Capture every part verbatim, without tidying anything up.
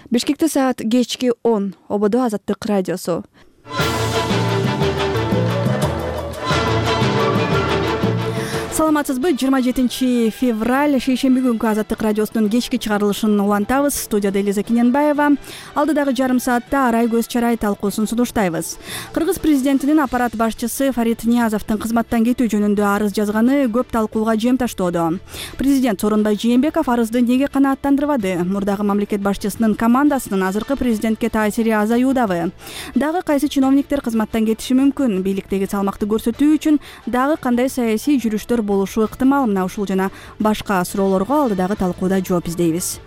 Бишкекте саат кечки он. Ободо Азаттык радиосу. Саламатсызбы? жыйырма жетинчи февраль шейшемби күнкү Азаттык радиосунун кечки чыгарылышын улантабыз. Студияда Элиза Кененбаева. Алдыдагы жарым саатта Арай көз чарай талкуусун сунуштайбыз. Кыргыз президентинин аппарат башчысы Фарид Ниязовдун кызматтан кетүү жөнүндө арыз жазганы көп талкууга жем таштоодо. Президент Сооронбай Жээнбеков арызды неге канааттандырбады? Мурдагы мамлекет башчысынын командасынын азыркы президентке таасири азаюудабы? Дагы кайсы чиновниктер кызматтан кетиши мүмкүн? Бийликтеги салмакты көрсөтүү үчүн дагы кандай саясий жүрүштөр болушу ыктымал? Мына ушул жана башка суроолорго алдыдагы талкууда жооп издейбиз.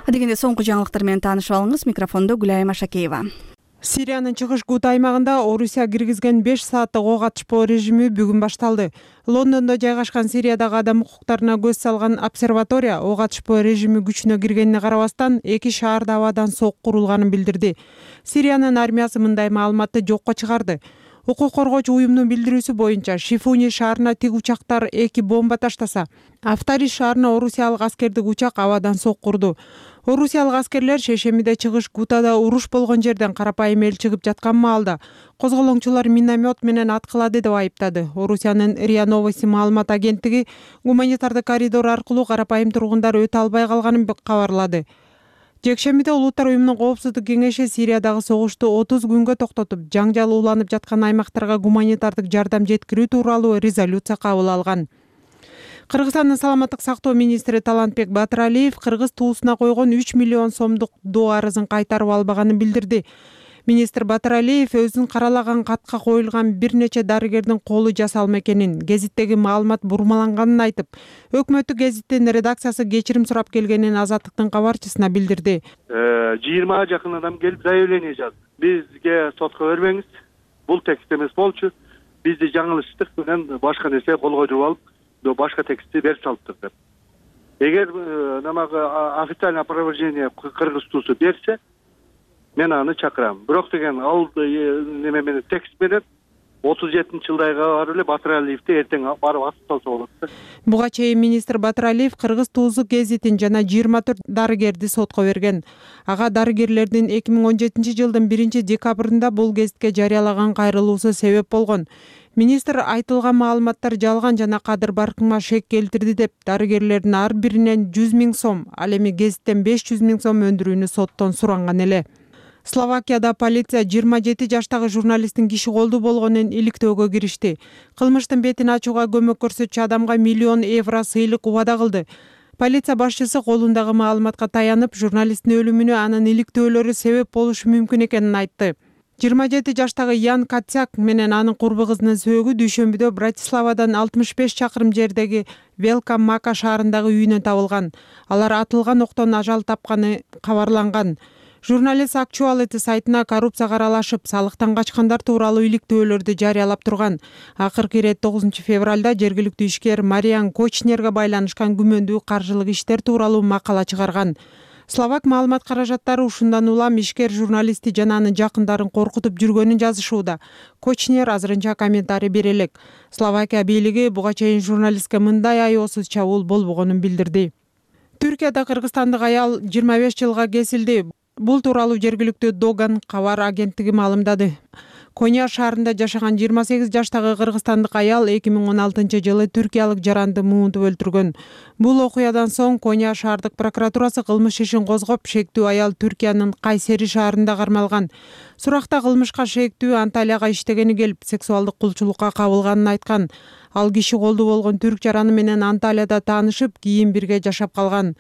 Адегенде соңку жаңылыктар менен таанышып алыңыз. Микрофондо Гүлайым Ашакеева. Сириянын чыгыш Гута аймагында Орусия киргизген беш сааттык ок атышпоо режими бүгүн башталды. Лондондо жайгашкан Сириядагы адам укуктарына көз салган обсерватория ок атышпоо режими күчүнө киргенине карабастан эки шаарда абадан сок курулганын билдирди. Сириянын армиясы мындай маалыматты жокко чыгарды. Укук коргоочу уюмдун билдирүүсү боюнча Шифуни шаарына тик учактар эки бомба таштаса, Афтариш шаарына орусиялык аскердик учак абадан сок курду. Орусиялык аскерлер шейшембиде чыгыш Гутада уруш болгон жерден карапайым эл чыгып жаткан маалда козголоңчулар миномет менен аткылады деп айыптады. Орусиянын РИА Новости маалымат агенттиги гуманитардык коридор аркылуу карапайым тургундар өтө албай калганын кабарлады. Жекшембиде Улуттар уюмунун коопсуздук кеңеши Сириядагы согушту отуз күнгө токтотуп, жаңжал уланып жаткан аймактарга гуманитардык жардам жеткирүү тууралуу резолюция кабыл алган. Кыргызстандын саламаттык сактоо министри Талантбек Батыралиев кыргыз туусуна койгон үч миллион сомдук доо арызын кайтарып албаганын билдирди. Министр Батыралиев өзүн каралаган катка коюлган бир нече дарыгердин колу жасалма экенин, гезиттеги маалымат бурмаланганын айтып, өкмөттүк гезиттин редакциясы кечирим сурап келгенин Азаттыктын кабарчысына билдирди. жыйырмага жакын адам келип заявление жазды. Бизге сотко бербеңиз, бул текст эмес болчу. Бизди жаңылыштык менен башка нерсе колго жууп алып, башка текстти берип салыптыр деп. Эгер намагы официальное опровержение кыргыз туусу берсе, мен аны чакырам. Бирок деген ал неме менен текст менен отуз жетинчи жылдайга барып эле Батыралиевди эртең барып асып салса болот да. Буга чейин министр Батыралиев кыргыз туузу гезитин жана жыйырма төрт дарыгерди сотко берген. Ага дарыгерлердин эки миң он жетинчи жылдын биринчи декабрында бул гезитке жарыялаган кайрылуусу себеп болгон. Министр айтылган маалыматтар жалган жана кадыр баркыңа шек келтирди деп, дарыгерлердин ар биринен жүз миң сом, ал эми гезиттен беш жүз миң сом өндүрүүнү соттон суранган эле. Словакияда полиция жыйырма жети жаштагы журналисттин киши колдуу болгонун иликтөөгө киришти. Кылмыштын бетин ачууга көмөк көрсөтчү адамга миллион евро сыйлык убада кылды. Полиция башчысы колундагы маалыматка таянып, журналисттин өлүмүнө анын иликтөөлөрү себеп болушу мүмкүн экенин айтты. жыйырма жети жаштагы Ян Катсяк менен анын курбу кызынын сөөгү дүйшөмбүдө Братиславадан алтымыш беш чакырым жердеги Велка Мака шаарындагы үйүнөн табылган. Алар атылган октон ажал тапканы кабарланган. Журналист Actuality сайтына коррупцияга аралашып, салыктан качкандар тууралуу иликтөөлөрдү жарыялап турган. Акыркы ирет тогузунчу февралда жергиликтүү ишкер Мариан Кочнерге байланышкан күмөндүү каржылык иштер тууралуу макала чыгарган. Словак маалымат каражаттары ушундан улам ишкер журналистти жана анын жакындарын коркутуп жүргөнүн жазышууда. Кочнер азырынча комментарий бере элек. Словакия бийлиги буга чейин журналистке мындай аеосуз чабуул болбогонун билдирди. Түркияда кыргызстандык аял жыйырма беш жылга кесилди. Бул тууралуу жергиликтүү Доган кабар агенттиги маалымдады. Коня шаарында жашаган жыйырма сегиз жаштагы кыргызстандык аял эки миң он алтынчы жылы түркиялык жаранды муунтуп өлтүргөн. Бул окуядан соң Коня шаардык прокуратурасы кылмыш ишин козгоп, шектүү аял Түркиянын Кайсери шаарында кармалган. Суракта кылмышка шектүү Анталияга иштегени келип, сексуалдык кулчулукка кабылганын айткан. Ал киши колдуу болгон түрк жараны менен Анталияда таанышып, кийин бирге жашап калган.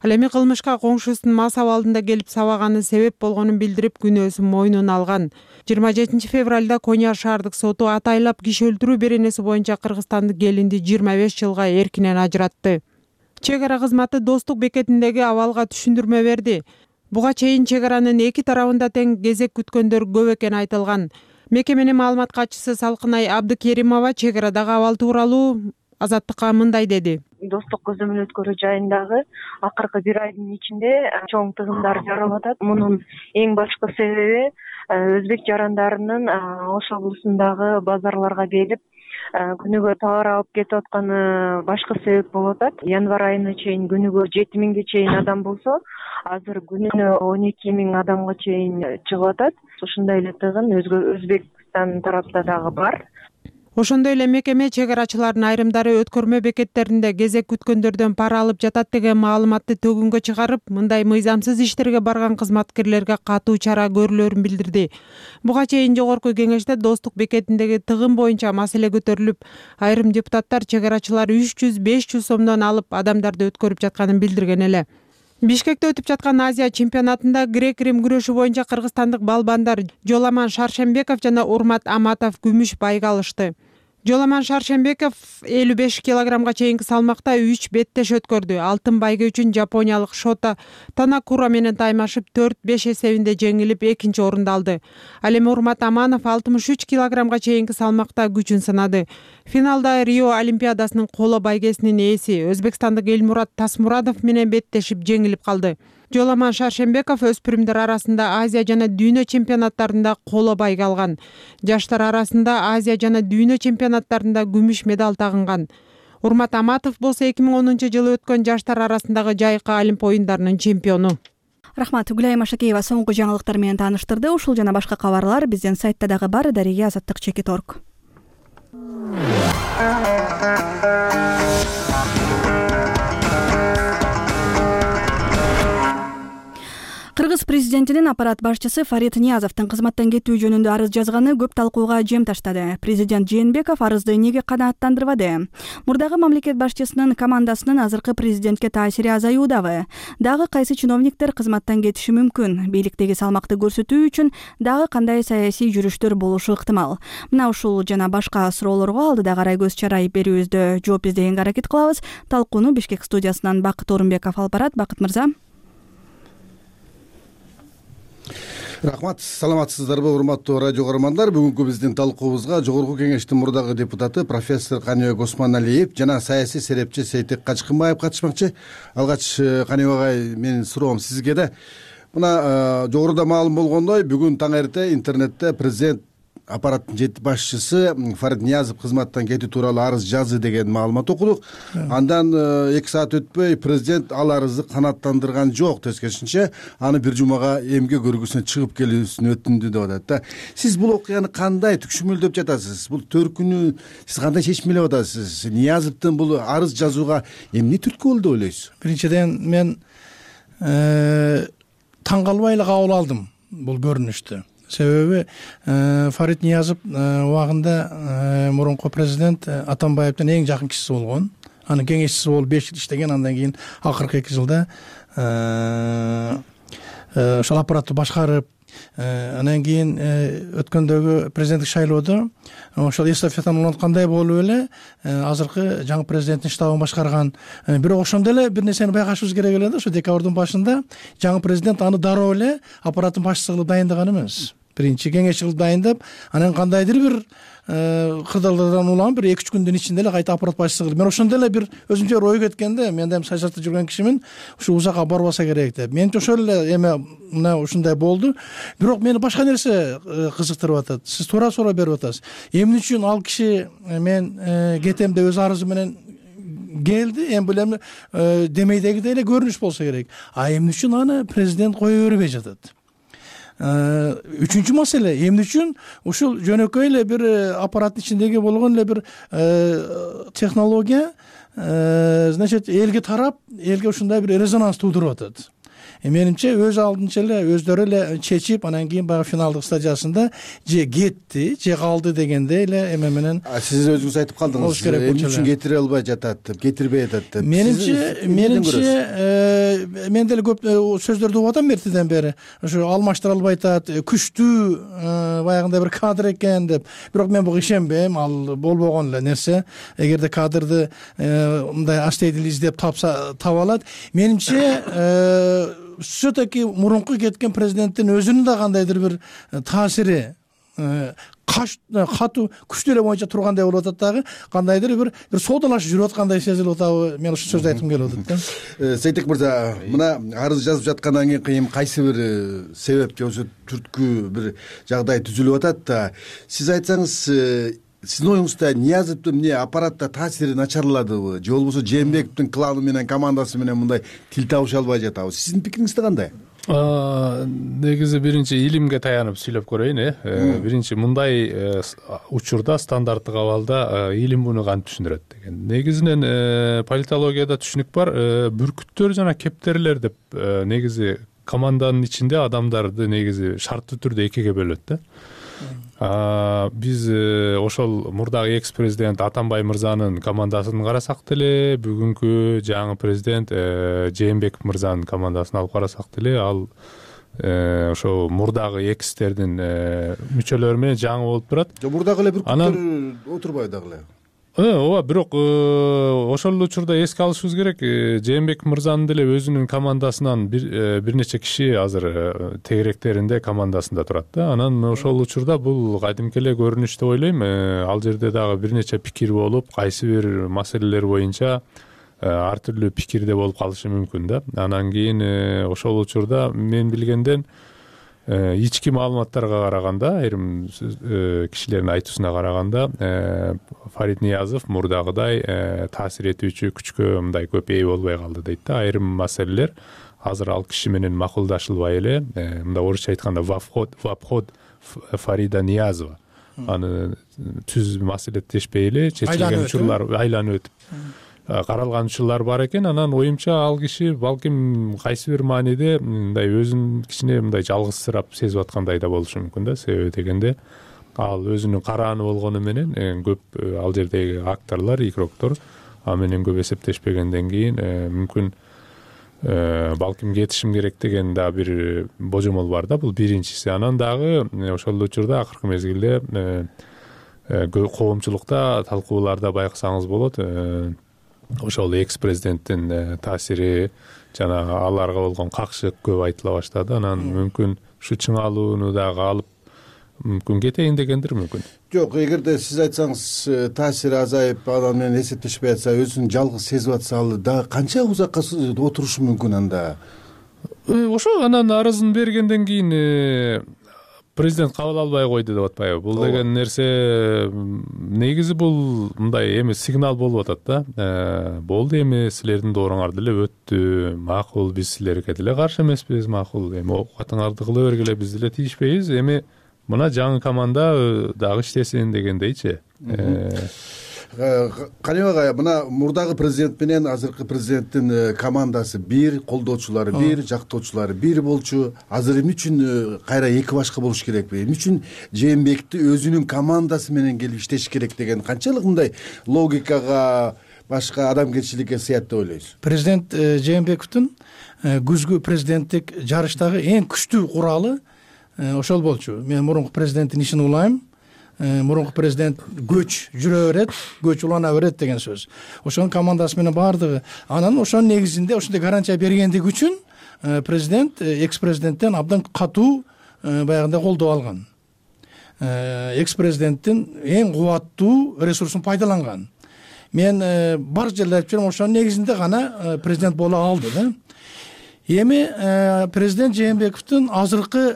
Ал эми кылмышка коңшусунун мас абалында келип сабаганы себеп болгонун билдирип, күнөөсүн мойнуна алган. жыйырма жетинчи февралда Коня шаардык соту атайлап киши өлтүрүү беренеси боюнча кыргызстандык келинди жыйырма беш жылга эркинен ажыратты. Чек ара кызматы Достук бекетиндеги абалга түшүндүрмө берди. Буга чейин чек аранын эки тарабында тең кезек күткөндөр көп экени айтылган. Мекеменин маалымат катчысы Салкынай Абдыкеримова чек арадагы абал тууралуу Азаттыкка мындай деди. Достук көзөмөл өткөрүү жайындагы акыркы бир айдын ичинде чоң тыгындар жаралып атат. Мунун эң башкы себеби өзбек жарандарынын Ош облусундагы базарларга келип, күнүгө товар алып кетип атканы башка себеп болуп атат. Январь айына чейин күнүгө жети миңге чейин адам болсо, азыр күнүнө он эки миң адамга чейин чыгып атат. Ушундай эле тыгын Өзбекстан тарапта дагы бар. Ошондой эле мекеме чек арачылардын айрымдары өткөрмө бекеттеринде кезек күткөндөрдөн пара алып жатат деген маалыматты төгүнгө чыгарып, мындай мыйзамсыз иштерге барган кызматкерлерге катуу чара көрүлөрүн билдирди. Буга чейин жогорку кеңеште Достук бекетиндеги тыгын боюнча маселе көтөрүлүп, айрым депутаттар чек арачылар үч жүз беш жүз сомдон алып адамдарды өткөрүп жатканын билдирген эле. Бишкекте өтүп жаткан Азия чемпионатында грек-рим күрөшү боюнча кыргызстандык балбандар Жоламан Шаршембеков жана Урмат Аматов күмүш байга алышты. Жоламан Шаршембеков элүү беш килограммга чейинки салмакта үч беттеш өткөрдү. Алтын байга үчүн жапониялык Шота Танакура менен таймашып төрт беш эсебинде жеңилип экинчи орунду алды. Ал эми Урмат Аманов алтымыш үч килограммга чейинки салмакта күчүн сынады. Финалда Рио Олимпиадасынын коло байгесинин ээси өзбекстандык Элмурат Тасмурадов менен беттешип жеңилип калды. Жоламан Шаршембеков өспүрүмдөр арасында Азия жана дүйнө чемпионаттарында коло байга алган. Жаштар арасында Азия жана дүйнө чемпионаттарында күмүш медаль тагынган. Урмат Аматов болсо эки миң онунчу жылы өткөн жаштар арасындагы жайкы Олимп оюндарынын чемпиону. Рахмат. Гүлайым Ашакеева соңку жаңылыктар менен тааныштырды. Ушул жана башка кабарлар биздин сайтта дагы бар. Дарига Азаттык чекит точка орг. Кыргыз президентинин аппарат башчысы Фарид Ниязовдун кызматтан кетүү жөнүндө арыз жазганы көп талкууга жем таштады. Президент Жээнбеков арызды эмнеге канааттандырбады? Мурдагы мамлекет башчысынын командасынын азыркы президентке таасири азаюудабы? Дагы кайсы чиновниктер кызматтан кетиши мүмкүн? Бийликтеги салмакты көрсөтүү үчүн дагы кандай саясий жүрүштөр болушу ыктымал? Мына ушул жана башка суроолорго алдыда Арай Көз Чарай берүүбүздө жооп издегенге аракет кылабыз. Талкууну Бишкек студиясынан Бакыт Орунбеков алып барат. Бакыт мырза. Рахмат, саламатсыздарбы урматтуу радио көрөрмандар. Бүгүнкү биздин талкуубузга жогорку кеңештин мурдагы депутаты профессор Каныбек Осмоналиев жана саясий серепчи Сейтек Качкынбаев катышмакчы. Алгач Каныбек агай, менин суроом сизге да. Мына жогоруда маалым болгондой, бүгүн таң эрте интернетте президент аппараттын жети башчысы Фарид Ниязов кызматтан кетүү тууралуу арыз жазды деген маалымат окудук. Андан эки саат өтпөй президент ал арызды канааттандырган жок, тескерисинче аны бир жумага эмгек көргүсүнө чыгып келүүсүн өтүндү деп атат да. Сиз бул окуяны кандай түкшүмөлдөп жатасыз? Бул төркүнү сиз кандай чечмелеп атасыз? Ниязовдун бул арыз жазууга эмне түрткү болду деп ойлойсуз? Биринчиден мен таң калбай эле кабыл алдым бул көрүнүштү. Себеби Фарид Ниязов убагында мурунку президент Атамбаевдин эң жакын кишиси болгон. Анын кеңешчиси болуп беш жыл иштеген, андан кийин акыркы эки жылда ошол аппаратты башкарып, анан кийин өткөндөгү президенттик шайлоодо ошол эстафетаны уланткандай болуп эле азыркы жаңы президенттин штабын башкарган. Бирок ошондо эле бир нерсени байкашыбыз керек эле да, ошо декабрдын башында жаңы президент аны дароо эле аппараттын башчысы кылып дайындаган эмес. Биринчи кеңешчи кылып дайындап, анан кандайдыр бир кырдаалдардан улам бир эки үч күндүн ичинде эле кайта аппарат башчысы кылып. Мен ошондо эле бир өзүмчө ой кеткенде, мен да эми саясатта жүргөн кишимин, ушу узакка барбаса керек деп. Менче ошол эле эме мына ушундай болду. Бирок мени башка нерсе кызыктырып атат. Сиз туура суроо берип атасыз. Эмне үчүн ал киши мен кетем деп өз арызы менен келди, эми бул эми демейдегидей эле көрүнүш болсо керек. А эмне үчүн аны президент кое бербей жатат? Үчүнчү маселе, эмне үчүн ушул жөнөкөй эле бир аппараттын ичиндеги болгон эле бир технология значит элге тарап, элге ушундай бир резонанс туудуруп атат. Менимче өз алдынча эле өздөрү эле чечип, анан кийин баягы финалдык стадиясында же кетти, же калды дегенде эле эме менен. Сиз өзүңүз айтып калдыңыз, эмне үчүн кетире албай жатат деп, кетирбей атат деп. Менимче, менимче мен деле көп сөздөрдү угуп атам эртеден бери. Ошо алмаштыра албай атат, күчтүү баягындай бир кадр экен деп. Бирок мен буга ишенбейм, ал болбогон эле нерсе. Эгерде кадрды мындай астейдил издеп тапса таба алат. Менимче все-таки мурунку кеткен президенттин өзүнүн да кандайдыр бир таасири катуу күчтүү эле боюнча тургандай болуп атат дагы, кандайдыр бир бир соодалашып жүрүп аткандай сезилип атабы? Мен ушул сөздү айткым келип атат да. Сейтек мырза, мына арыз жазып жаткандан кийин кайсы бир себеп же ошо түрткү бир жагдай түзүлүп атат да. Сиз айтсаңыз, сиздин оюңузда Ниязовдун эмне аппаратта таасири начарладыбы же болбосо Жээнбековдун кланы менен командасы менен мындай тил табыша албай жатабы? Сиздин пикириңизде кандай? Негизи биринчи илимге таянып сүйлөп көрөйүн. э Биринчи мындай учурда стандарттык абалда илим муну кантип түшүндүрөт деген. Негизинен политологияда түшүнүк бар. Бүркүттөр жана кептерлер деп негизи команданын ичинде адамдарды негизи шарттуу түрдө экиге бөлөт да. Биз ошол мурдагы экс президент Атамбай мырзанын командасын карасак деле, бүгүнкү жаңы президент Жээнбеков мырзанын командасын алып карасак деле, ал ошо мурдагы экстердин мүчөлөрү менен жаңы болуп турат. Мурдагы эле бүркүттөр отурбайбы дагы эле? Ооба, бирок ошол учурда эске алышыбыз керек, Жээнбеков мырзанын деле өзүнүн командасынан бир бир нече киши азыр тегеректеринде командасында турат да. Анан ошол учурда бул кадимки эле көрүнүш деп ойлойм. Ал жерде дагы бир нече пикир болуп, кайсы бир маселелер боюнча ар түрдүү пикирде болуп калышы мүмкүн да. Анан кийин ошол учурда мен билгенден ички маалыматтарга караганда, айрым кишилердин айтуусуна караганда, Фарид Ниязов мурдагыдай таасир этүүчү күчкө мындай көп ээ болбой калды дейт да. Айрым маселелер азыр ал киши менен макулдашылбай эле, мындай орусча айтканда в обход Фарида Ниязова. Аны түз маселеттешпей эле чечилген учурлар айланып өтүп каралган учурлар бар экен. Анан оюмча ал киши балким кайсы бир мааниде мындай өзүн кичине мындай жалгызсырап сезип аткандай да болушу мүмкүн да. Себеби дегенде ал өзүнүн карааны болгону менен көп ал жердеги акторлор, игроктор а менен көп эсептешпегенден кийин мүмкүн балким кетишим керек деген да бир божомол бар да. Бул биринчиси. Анан дагы ошол учурда акыркы мезгилде коомчулукта талкууларда байкасаңыз болот, ошол экс президенттин таасири жана аларга болгон какшык көп айтыла баштады. Анан мүмкүн ушу чыңалууну дагы алып мүмкүн кетейин дегендир мүмкүн. Жок, эгерде сиз айтсаңыз таасири азайып, анан менен эсептешпей атса, өзүн жалгыз сезип атса, ал дагы канча узакка отурушу мүмкүн анда? Ошо анан арызын бергенден кийин президент кабыл албай койду деп атпайбы? Бул деген нерсе негизи бул мындай эми сигнал болуп атат да. Болду, эми силердин дооруңар деле өттү, макул, биз силерге деле каршы эмеспиз, макул, эми оокатыңарды кыла бергиле, биз деле тийишпейбиз, эми мына жаңы команда дагы иштесин дегендейчи. Каныбек агай, мына мурдагы президент менен азыркы президенттин командасы бир, колдоочулары бир, жактоочулары бир болчу. Азыр эмне үчүн кайра эки башка болуш керекпи? Эмне үчүн Жээнбековду өзүнүн командасы менен келип иштеш керек деген канчалык мындай логикага, башка адамгерчиликке сыят деп ойлойсуз? Президент Жээнбековдун күзгү президенттик жарыштагы эң күчтүү куралы ошол болчу. Мен мурунку президенттин ишин улайм. Мурунку президент көч жүрө берет, көч улана берет деген сөз. Ошонун командасы менен баардыгы. Анан ошонун негизинде ошондой гарантия бергендиги үчүн президент экс президенттен абдан катуу баягындай колдоо алган. Экс президенттин эң кубаттуу ресурсун пайдаланган. Мен бар жерде айтып жүрөм, ошонун негизинде гана президент боло алды да. Эми президент Жээнбековдун азыркы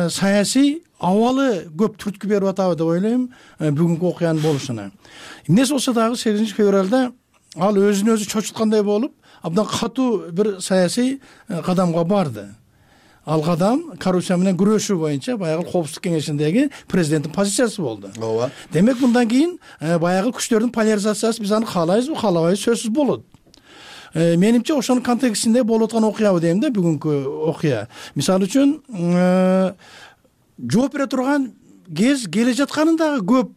саясий абалы көп түрткү берип атабы деп ойлойм бүгүнкү окуянын болушуна. Эмнеси болсо дагы сегизинчи февралда ал өзүн өзү чочуткандай болуп, абдан катуу бир саясий кадамга барды. Ал кадам коррупция менен күрөшүү боюнча баягы Коопсуздук кеңешиндеги президенттин позициясы болду. Ооба. Демек мындан кийин баягы күчтөрдүн поляризациясы биз аны каалайбызбы, каалабайбыз, сөзсүз болот. Менимче ошонун контекстинде болуп аткан окуябы дейм да бүгүнкү окуя. Мисалы үчүн жооп бере турган кез келе жатканындагы көп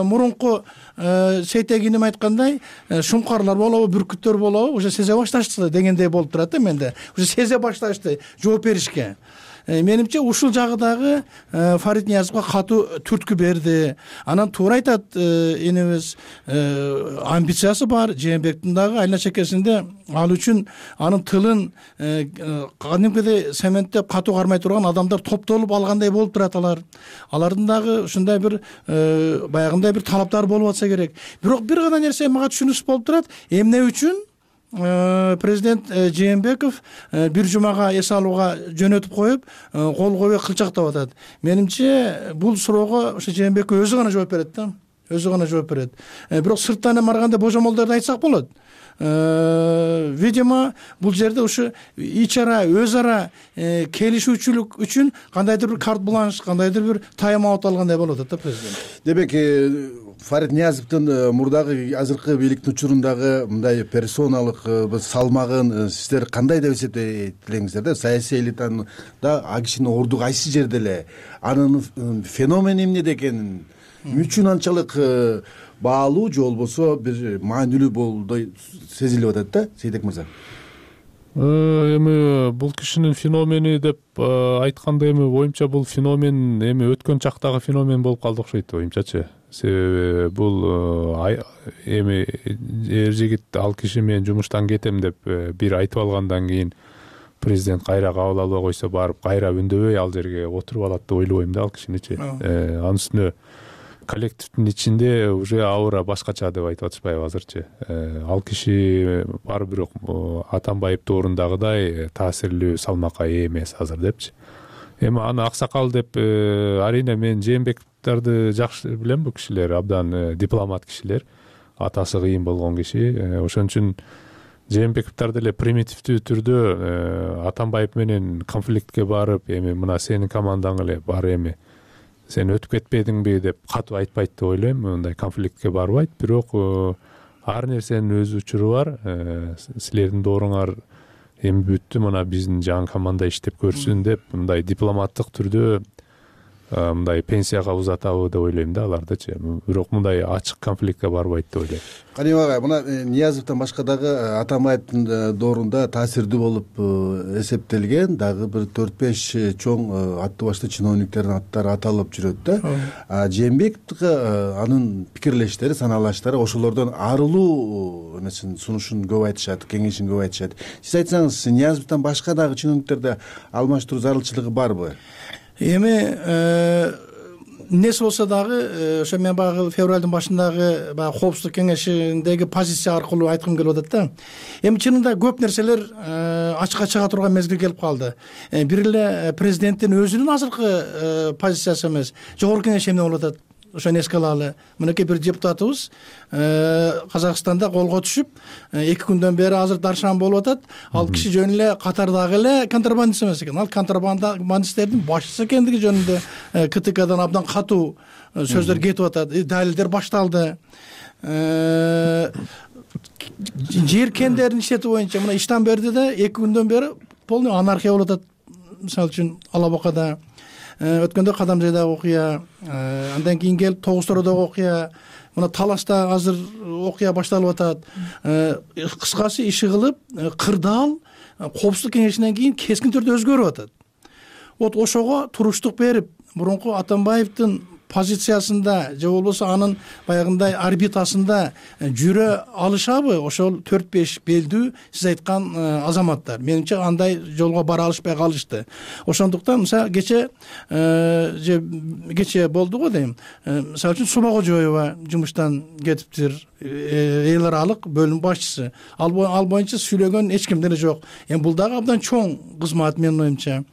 мурунку Сейтегиним айткандай шумкарлар болобу, бүркүттөр болобу, уже сезе башташты дегендей болуп турат да менде. Уже сезе башташты жооп беришке. Менимче ушул жагы дагы Фарид Ниязовго катуу түрткү берди. Анан туура айтат энебиз, амбициясы бар Жээнбековдун дагы айна чекесинде, ал үчүн анын тылын кадимкидей цементтеп катуу кармай турган адамдар топтолуп алгандай болуп турат алар. Алардын дагы ушундай бир баягындай бир талаптары болуп атса керек. Бирок бир гана нерсе мага түшүнүксүз болуп турат. Эмне үчүн президент Жээнбеков бир жумага эс алууга жөнөтүп коюп, кол койбой кылчактап атат? Менимче бул суроого ошо Жээнбеков өзү гана жооп берет да. өзү гана жооп берет. Бирок сырттан эми барганда божомолдорду айтсак болот. Видимо, бул жерде ушу ич ара, өз ара келишүүчүлүк үчүн кандайдыр бир карт бланш, кандайдыр бир тайм аут алгандай болуп атат да президент. Демек, Фарид Ниязовдун мурдагы азыркы бийликтин учурундагы мындай персоналык салмагын сиздер кандай деп эсептейсиңер да? Саясий элитанын да а кишинин орду кайсы жерде эле, анын феномени эмнеде экенин үчүн анчалык баалуу же болбосо бир маанилүү болуп сезилип атат да, Сейтек мырза? Эми бул кишинин феномени деп айтканда, эми оюмча бул феномен эми өткөн чактагы феномен болуп калды окшойт оюмчачы. Себеби бул эми эр жигит ал киши мен жумуштан кетем деп бир айтып алгандан кийин президент кайра кабыл албай койсо барып кайра үндөбөй ал жерге отуруп алат деп ойлобойм да ал кишиничи. Анын үстүнө коллективдин ичинде уже аура башкача деп айтып атышпайбы азырчы. Ал киши баары бирок Атамбаевди орундагыдай таасирлүү салмакка ээ эмес азыр депчи. Эми аны аксакал деп арийне мен Жээнбековдорду жакшы билем, бул кишилер абдан дипломат кишилер, атасы кыйын болгон киши. Ошон үчүн Жээнбековдор деле примитивдүү түрдө Атамбаев менен конфликтке барып, эми мына сенин командаң эле бар, эми сен өтүп кетпедиңби деп катуу айтпайт деп ойлойм. Мындай конфликтке барбайт, бирок ар нерсенин өз учуру бар. Силердин дооруңар эми бүттү, мына биздин жаңы команда иштеп көрсүн деп мындай дипломаттык түрдө мындай пенсияга узатабы деп ойлойм да алардычы. Бирок мындай ачык конфликтке барбайт деп ойлойм. Каним агай, мына Ниязовдон башка дагы Атамбаевдин доорунда таасирдүү болуп эсептелген дагы бир төрт беш чоң аттуу башты чиновниктердин аттары аталып жүрөт да. Жээнбековго анын пикирлештери, санаалаштары ошолордон арылуу эмесин сунушун көп айтышат, кеңешин көп айтышат. Сиз айтсаңыз, Ниязовдон башка дагы чиновниктерде алмаштыруу зарылчылыгы барбы? Эми эмнеси болсо дагы ошо мен баягы февралдын башындагы баягы коопсуздук кеңешиндеги позиция аркылуу айткым келип атат да. Эми чынында көп нерселер ачыкка чыга турган мезгил келип калды. Бир эле президенттин өзүнүн азыркы позициясы эмес, жогорку кеңеш эмне болуп атат, ошону эске алалы. Мынакей бир депутатыбыз Казакстанда колго түшүп, эки күндөн бери азыр даршан болуп атат. Ал киши жөн эле катардагы эле контрабандист эмес экен. Ал контрабандисттердин башчысы экендиги жөнүндө КТКдан абдан катуу сөздөр кетип атат. Далилдер башталды. Жер кендерин иштетүү боюнча мына Иштанбердиде эки күндөн бери полный анархия болуп атат. Мисалы үчүн Алабакада өткөндө Кадамжайдагы окуя, андан кийин келип Тогуз Тородогу окуя, мына Таласта азыр окуя башталып атат. Кыскасы иши кылып, кырдаал коопсуздук кеңешинен кийин кескин түрдө өзгөрүп атат. Вот ошого туруштук берип, мурунку Атамбаевдин позициясында же болбосо анын баягындай орбитасында жүрө алышабы ошол төрт беш белдүү сиз айткан азаматтар? Менимче андай жолго бара алышпай калышты. Ошондуктан мисалы кече же кече болду го дейм. Мисалы үчүн Субагожоева жумуштан кетиптир, эл аралык бөлүм башчысы. Ал боюнча сүйлөгөн эч ким деле жок. Эми бул дагы абдан чоң кызмат менин оюмча.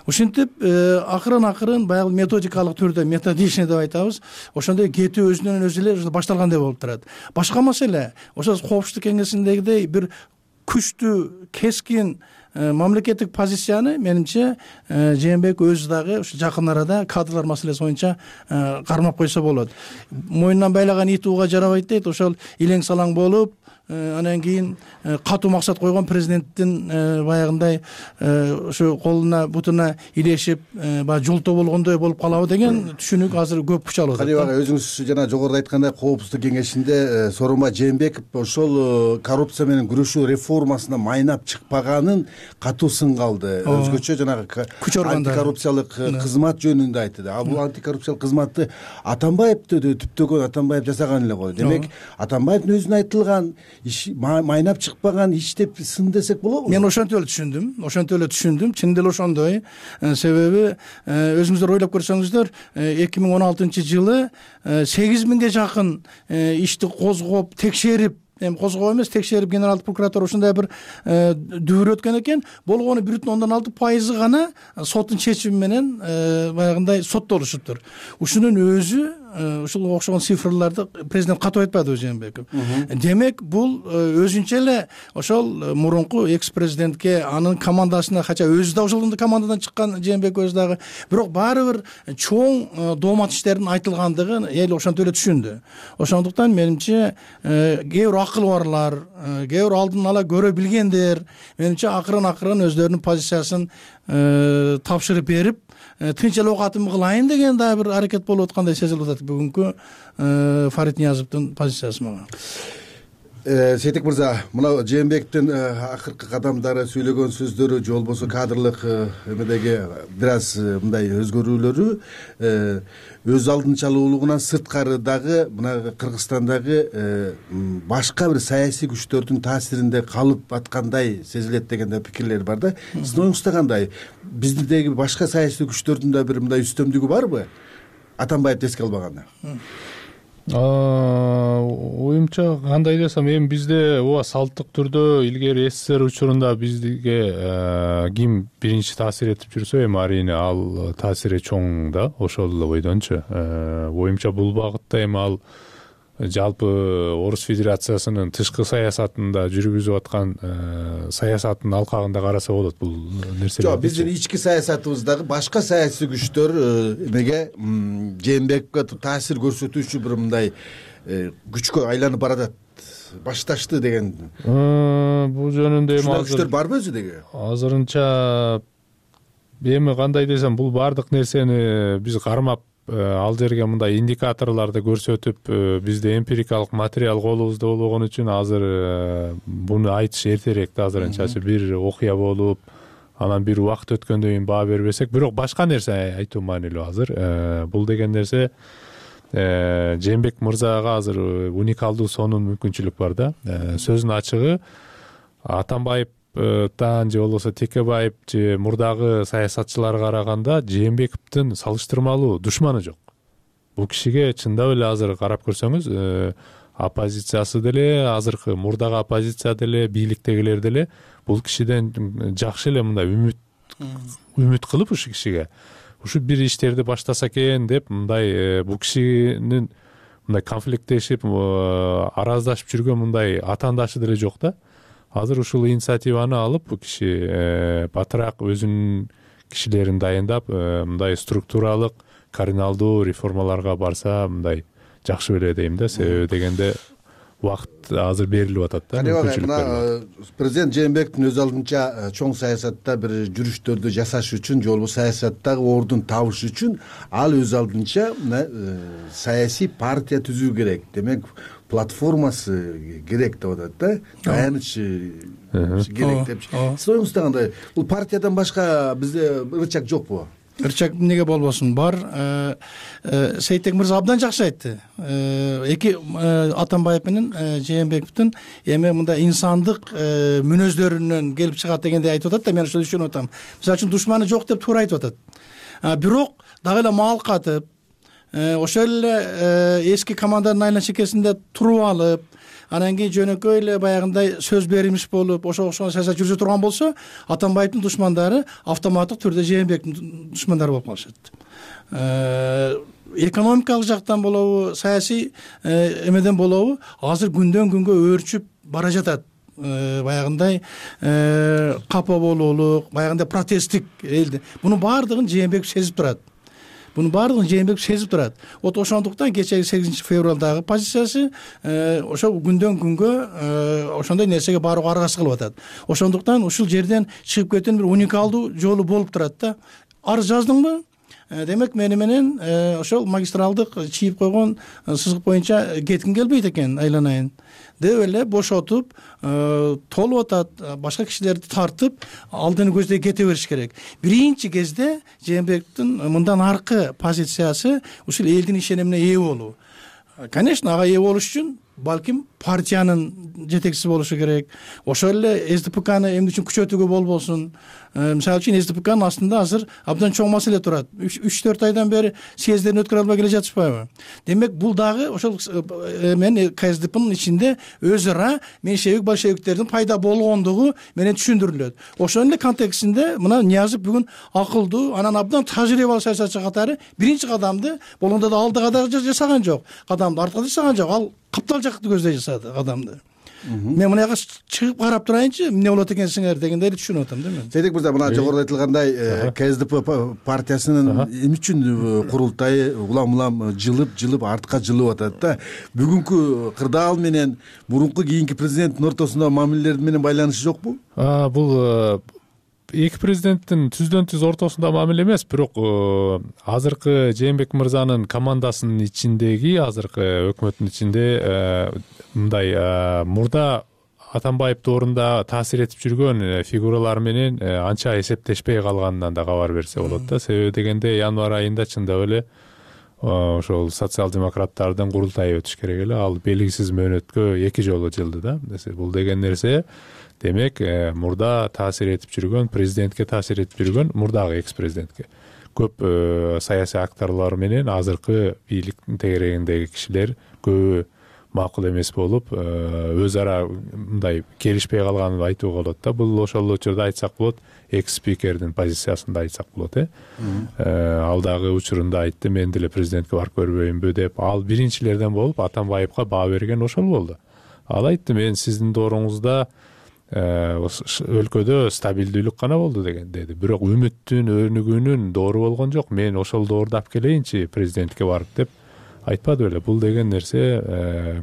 Ушинтип акырын акырын баягы методикалык түрдө методичный деп айтабыз. Ошондой кетүү өзүнөн өзү эле башталгандай болуп турат. Башка маселе, ошо коопсуздук кеңесиндегидей бир күчтүү, кескин мамлекеттик позицияны менимче Жээнбеков өзү дагы ушу жакын арада кадрлар маселеси боюнча кармап койсо болот. Мойнунан байлаган ит ууга жарабайт дейт. Ошол илең салаң болуп, анан кийин катуу максат койгон президенттин баягындай ушу колуна бутуна илешип баягы жолтоо болгондой болуп калабы деген түшүнүк азыр көп күч алып атат. Каним агай, өзүңүз жана жогоруда айткандай коопсуздук кеңешинде Сооронбай Жээнбеков ошол коррупция менен күрөшүү реформасына майнап чыкпаганын катуу сынга алды. Өзгөчө жанагы антикоррупциялык кызмат жөнүндө айтты. А бул антикоррупциялык кызматты Атамбаевди түптөгөн Атамбаев жасаган эле го. Демек Атамбаевдин өзүнө айтылган иш майнап чыкпаган иш деп сын десек болобу? Мен ошентип эле түшүндүм. Ошентип эле түшүндүм. Чын деле ошондой. Себеби өзүңүздөр ойлоп көрсөңүздөр, эки миң он алтынчы жылы сегиз миңге жакын ишти козгоп, текшерип, эми козгоо эмес, текшерип генералдык прокуратура ушундай бир дүүр өткөн экен. Болгону бир бүтүн ондон алты пайызы гана соттун чечими менен баягындай соттолушуптур. Ушунун өзү ушул окшогон цифрларды президент катып айтпадыбы Жээнбеков. Демек бул өзүнчө эле ошол мурунку экс президентке анын командасына, хотя өзү да ошол командадан чыккан Жээнбеков өзү дагы, бирок баары бир чоң доомат иштердин айтылгандыгын эл ошентип эле түшүндү. Ошондуктан менимче кээ бир акыл барлар, кээ бир алдын ала көрө билгендер менимче акырын акырын өздөрүнүн позициясын тапшырып берип, тынч эле окатым кылайын деген дагы бир аракет болуп аткандай сезилип атат бүгүнкү Фарид Ниязовдун позициясы мага. Сейтек мырза, мына Жээнбековдун акыркы кадамдары, сүйлөгөн сөздөрү же болбосо кадрлык эмедеги бир аз мындай өзгөрүүлөрү өз алдынчалуулугунан сырткары дагы мына Кыргызстандагы башка бир саясий күчтөрдүн таасиринде калып аткандай сезилет деген да пикирлер бар да. Сиздин оюңузда кандай? Биздеги башка саясий күчтөрдүн да бир мындай үстөмдүгү барбы? Атамбаевди эске албаганда. Оюмча кандай десем, эми бизде ооба салттык түрдө илгери СССР учурунда бизге ким биринчи таасир этип жүрсө, эми арийне ал таасири чоң да, ошол эле бойдончу. Оюмча бул багытта эми ал жалпы Орус Федерациясынын тышкы саясатында жүргүзүп аткан саясаттын алкагында караса болот бул нерселер. Жок, биздин ички саясатыбыздагы башка саясий күчтөр эмеге Жээнбековго таасир көрсөтүүчү бир мындай күчкө айланып баратат, башташты деген. Бул жөнүндө эми азыр күчтөр барбы өзү деги? Азырынча эми кандай десем, бул бардык нерсени биз кармап ал жерге мындай индикаторлорду көрсөтүп, бизде эмпирикалык материал колубузда болгон үчүн азыр буну айтыш эртерээк да. Азырынчачы бир окуя болуп, анан бир убакыт өткөндөн кийин баа бербесек, бирок башка нерсе айтуу маанилүү азыр. Бул деген нерсе Жээнбеков мырзага азыр уникалдуу сонун мүмкүнчүлүк бар да. Сөздүн ачыгы, Атамбаевтан же болбосо Текебаев же мурдагы саясатчыларга караганда Жээнбековдун салыштырмалуу душманы жок. Бул кишиге чындап эле азыр карап көрсөңүз, оппозициясы деле, азыркы мурдагы оппозиция деле, бийликтегилер деле бул кишиден жакшы эле мындай үмүт үмүт кылып ушу кишиге ушу бир иштерди баштаса экен деп, мындай бул кишинин мындай конфликттешип, араздашып жүргөн мындай атаандашы деле жок да. Азыр ушул инициативаны алып, бул киши батыраак өзүнүн кишилерин дайындап, мындай структуралык, кардиналдуу реформаларга барса, мындай жакшы беле дейм да. Себеби дегенде убакыт азыр берилип атат да. Мына президент Жээнбековдун өз алдынча чоң саясатта бир жүрүштөрдү жасаш үчүн, же болбосо саясаттагы ордун табыш үчүн ал өз алдынча саясий партия түзүү керек. Демек, платформасы керек деп атат да. Таяныч керек деп. Сиз оюңузда кандай? Бул партиядан башка бизде ырчак жокпу? Ырчак эмнеге болбосун, бар. Сейтек мырза абдан жакшы айтты. Эки Атамбаев менен Жээнбековдун эми мындай инсандык мүнөздөрүнөн келип чыгат дегенди айтып атат да, мен ошону түшүнүп атам. Мисалы үчүн душманы жок деп туура айтып атат. Бирок дагы эле маал катып, ошол эле эски команданын айла чекесинде туруп алып, анан кийин жөнөкөй эле баягындай сөз беримиш болуп, ошо окшогон саясат жүргүзө турган болсо, Атамбаевдин душмандары автоматтык түрдө Жээнбековдун душмандары болуп калышат. Экономикалык жактан болобу, саясий эмеден болобу, азыр күндөн күнгө өөрчүп бара жатат. Баягындай капа болуулук, баягындай протесттик элди. Муну баардыгын Жээнбеков сезип турат. Буну баардыгын Жээнбеков сезип турат. Вот ошондуктан кечеги сегизинчи февралдагы позициясы ошо күндөн күнгө ошондой нерсеге барууга аргасыз кылып атат. Ошондуктан ушул жерден чыгып кеткен бир уникалдуу жолу болуп турат да. Арыз жаздыңбы? Демек, мени менен ошол магистралдык чийип койгон сызык боюнча кетким келбейт экен, айланайын деп эле бошотуп, толуп атат, башка кишилерди тартып, алдыны көздөй кете бериш керек. Биринчи кезде Жээнбековдун мындан аркы позициясы ушул элдин ишенимине ээ болуу. Конечно, ага ээ болуш үчүн балким партиянын жетекчиси болушу керек. Ошол эле СДПКны эмне үчүн күчөтүүгө болбосун. Мисалы үчүн СДПКнын астында азыр абдан чоң маселе турат. үч төрт айдан бери съездерин өткөрө албай келе жатышпайбы? Демек бул дагы ошол мен КСДПнын ичинде өз ара меньшевик большевиктердин пайда болгондугу менен түшүндүрүлөт. Ошонун эле контекстинде мына Ниязов бүгүн акылдуу, анан абдан тажрыйбалуу саясатчы катары биринчи кадамды болгондо да алдыга да жасаган жок. Кадамды артка жасаган жок. Ал каптал жакты көздөй жасады кадамды. Мен мына жака чыгып карап турайынчы, эмне болот экенсиңер дегендей түшүнүп атам да мен. Сейтек мырза, мына жогоруда айтылгандай КСДП партиясынын эмне үчүн курултайы улам-улам жылып, жылып артка жылып атат да. Бүгүнкү кырдаал менен мурунку кийинки президенттин ортосунда мамилелер менен байланышы жокпу? Бул эки президенттин түздөн түз ортосунда мамиле эмес, бирок азыркы Жээнбек мырзанын командасынын ичиндеги, азыркы өкмөттүн ичинде мындай мурда Атамбаев доорунда таасир этип жүргөн фигуралар менен анча эсептешпей калганынан да кабар берсе болот да. Себеби дегенде январь айында чындап эле ошол социал-демократтардын курултайы өтүш керек эле. Ал белгисиз мөөнөткө эки жолу жылды да. Бул деген нерсе демек мурда таасир этип жүргөн, президентке таасир этип жүргөн, мурдагы экс-президентке көп саясий акторлор менен азыркы бийликтин тегерегиндеги кишилер көбү макул эмес болуп, өз ара мындай келишпей калганын айтууга болот да. Бул ошол учурда айтсак болот, экс-спикердин позициясында айтсак болот, э. Ал дагы учурунда айтты, мен деле президентке барып көрбөйүнбү деп. Ал биринчилерден болуп Атамбаевка баа берген ошол болду. Ал айтты, мен сиздин дооруңузда өлкөдө стабилдүүлүк гана болду деген деди. Бирок үмүттүн, өнүгүүнүн доору болгон жок. Мен ошол доорду алып келейинчи президентке барып деп айтпады беле. Бул деген нерсе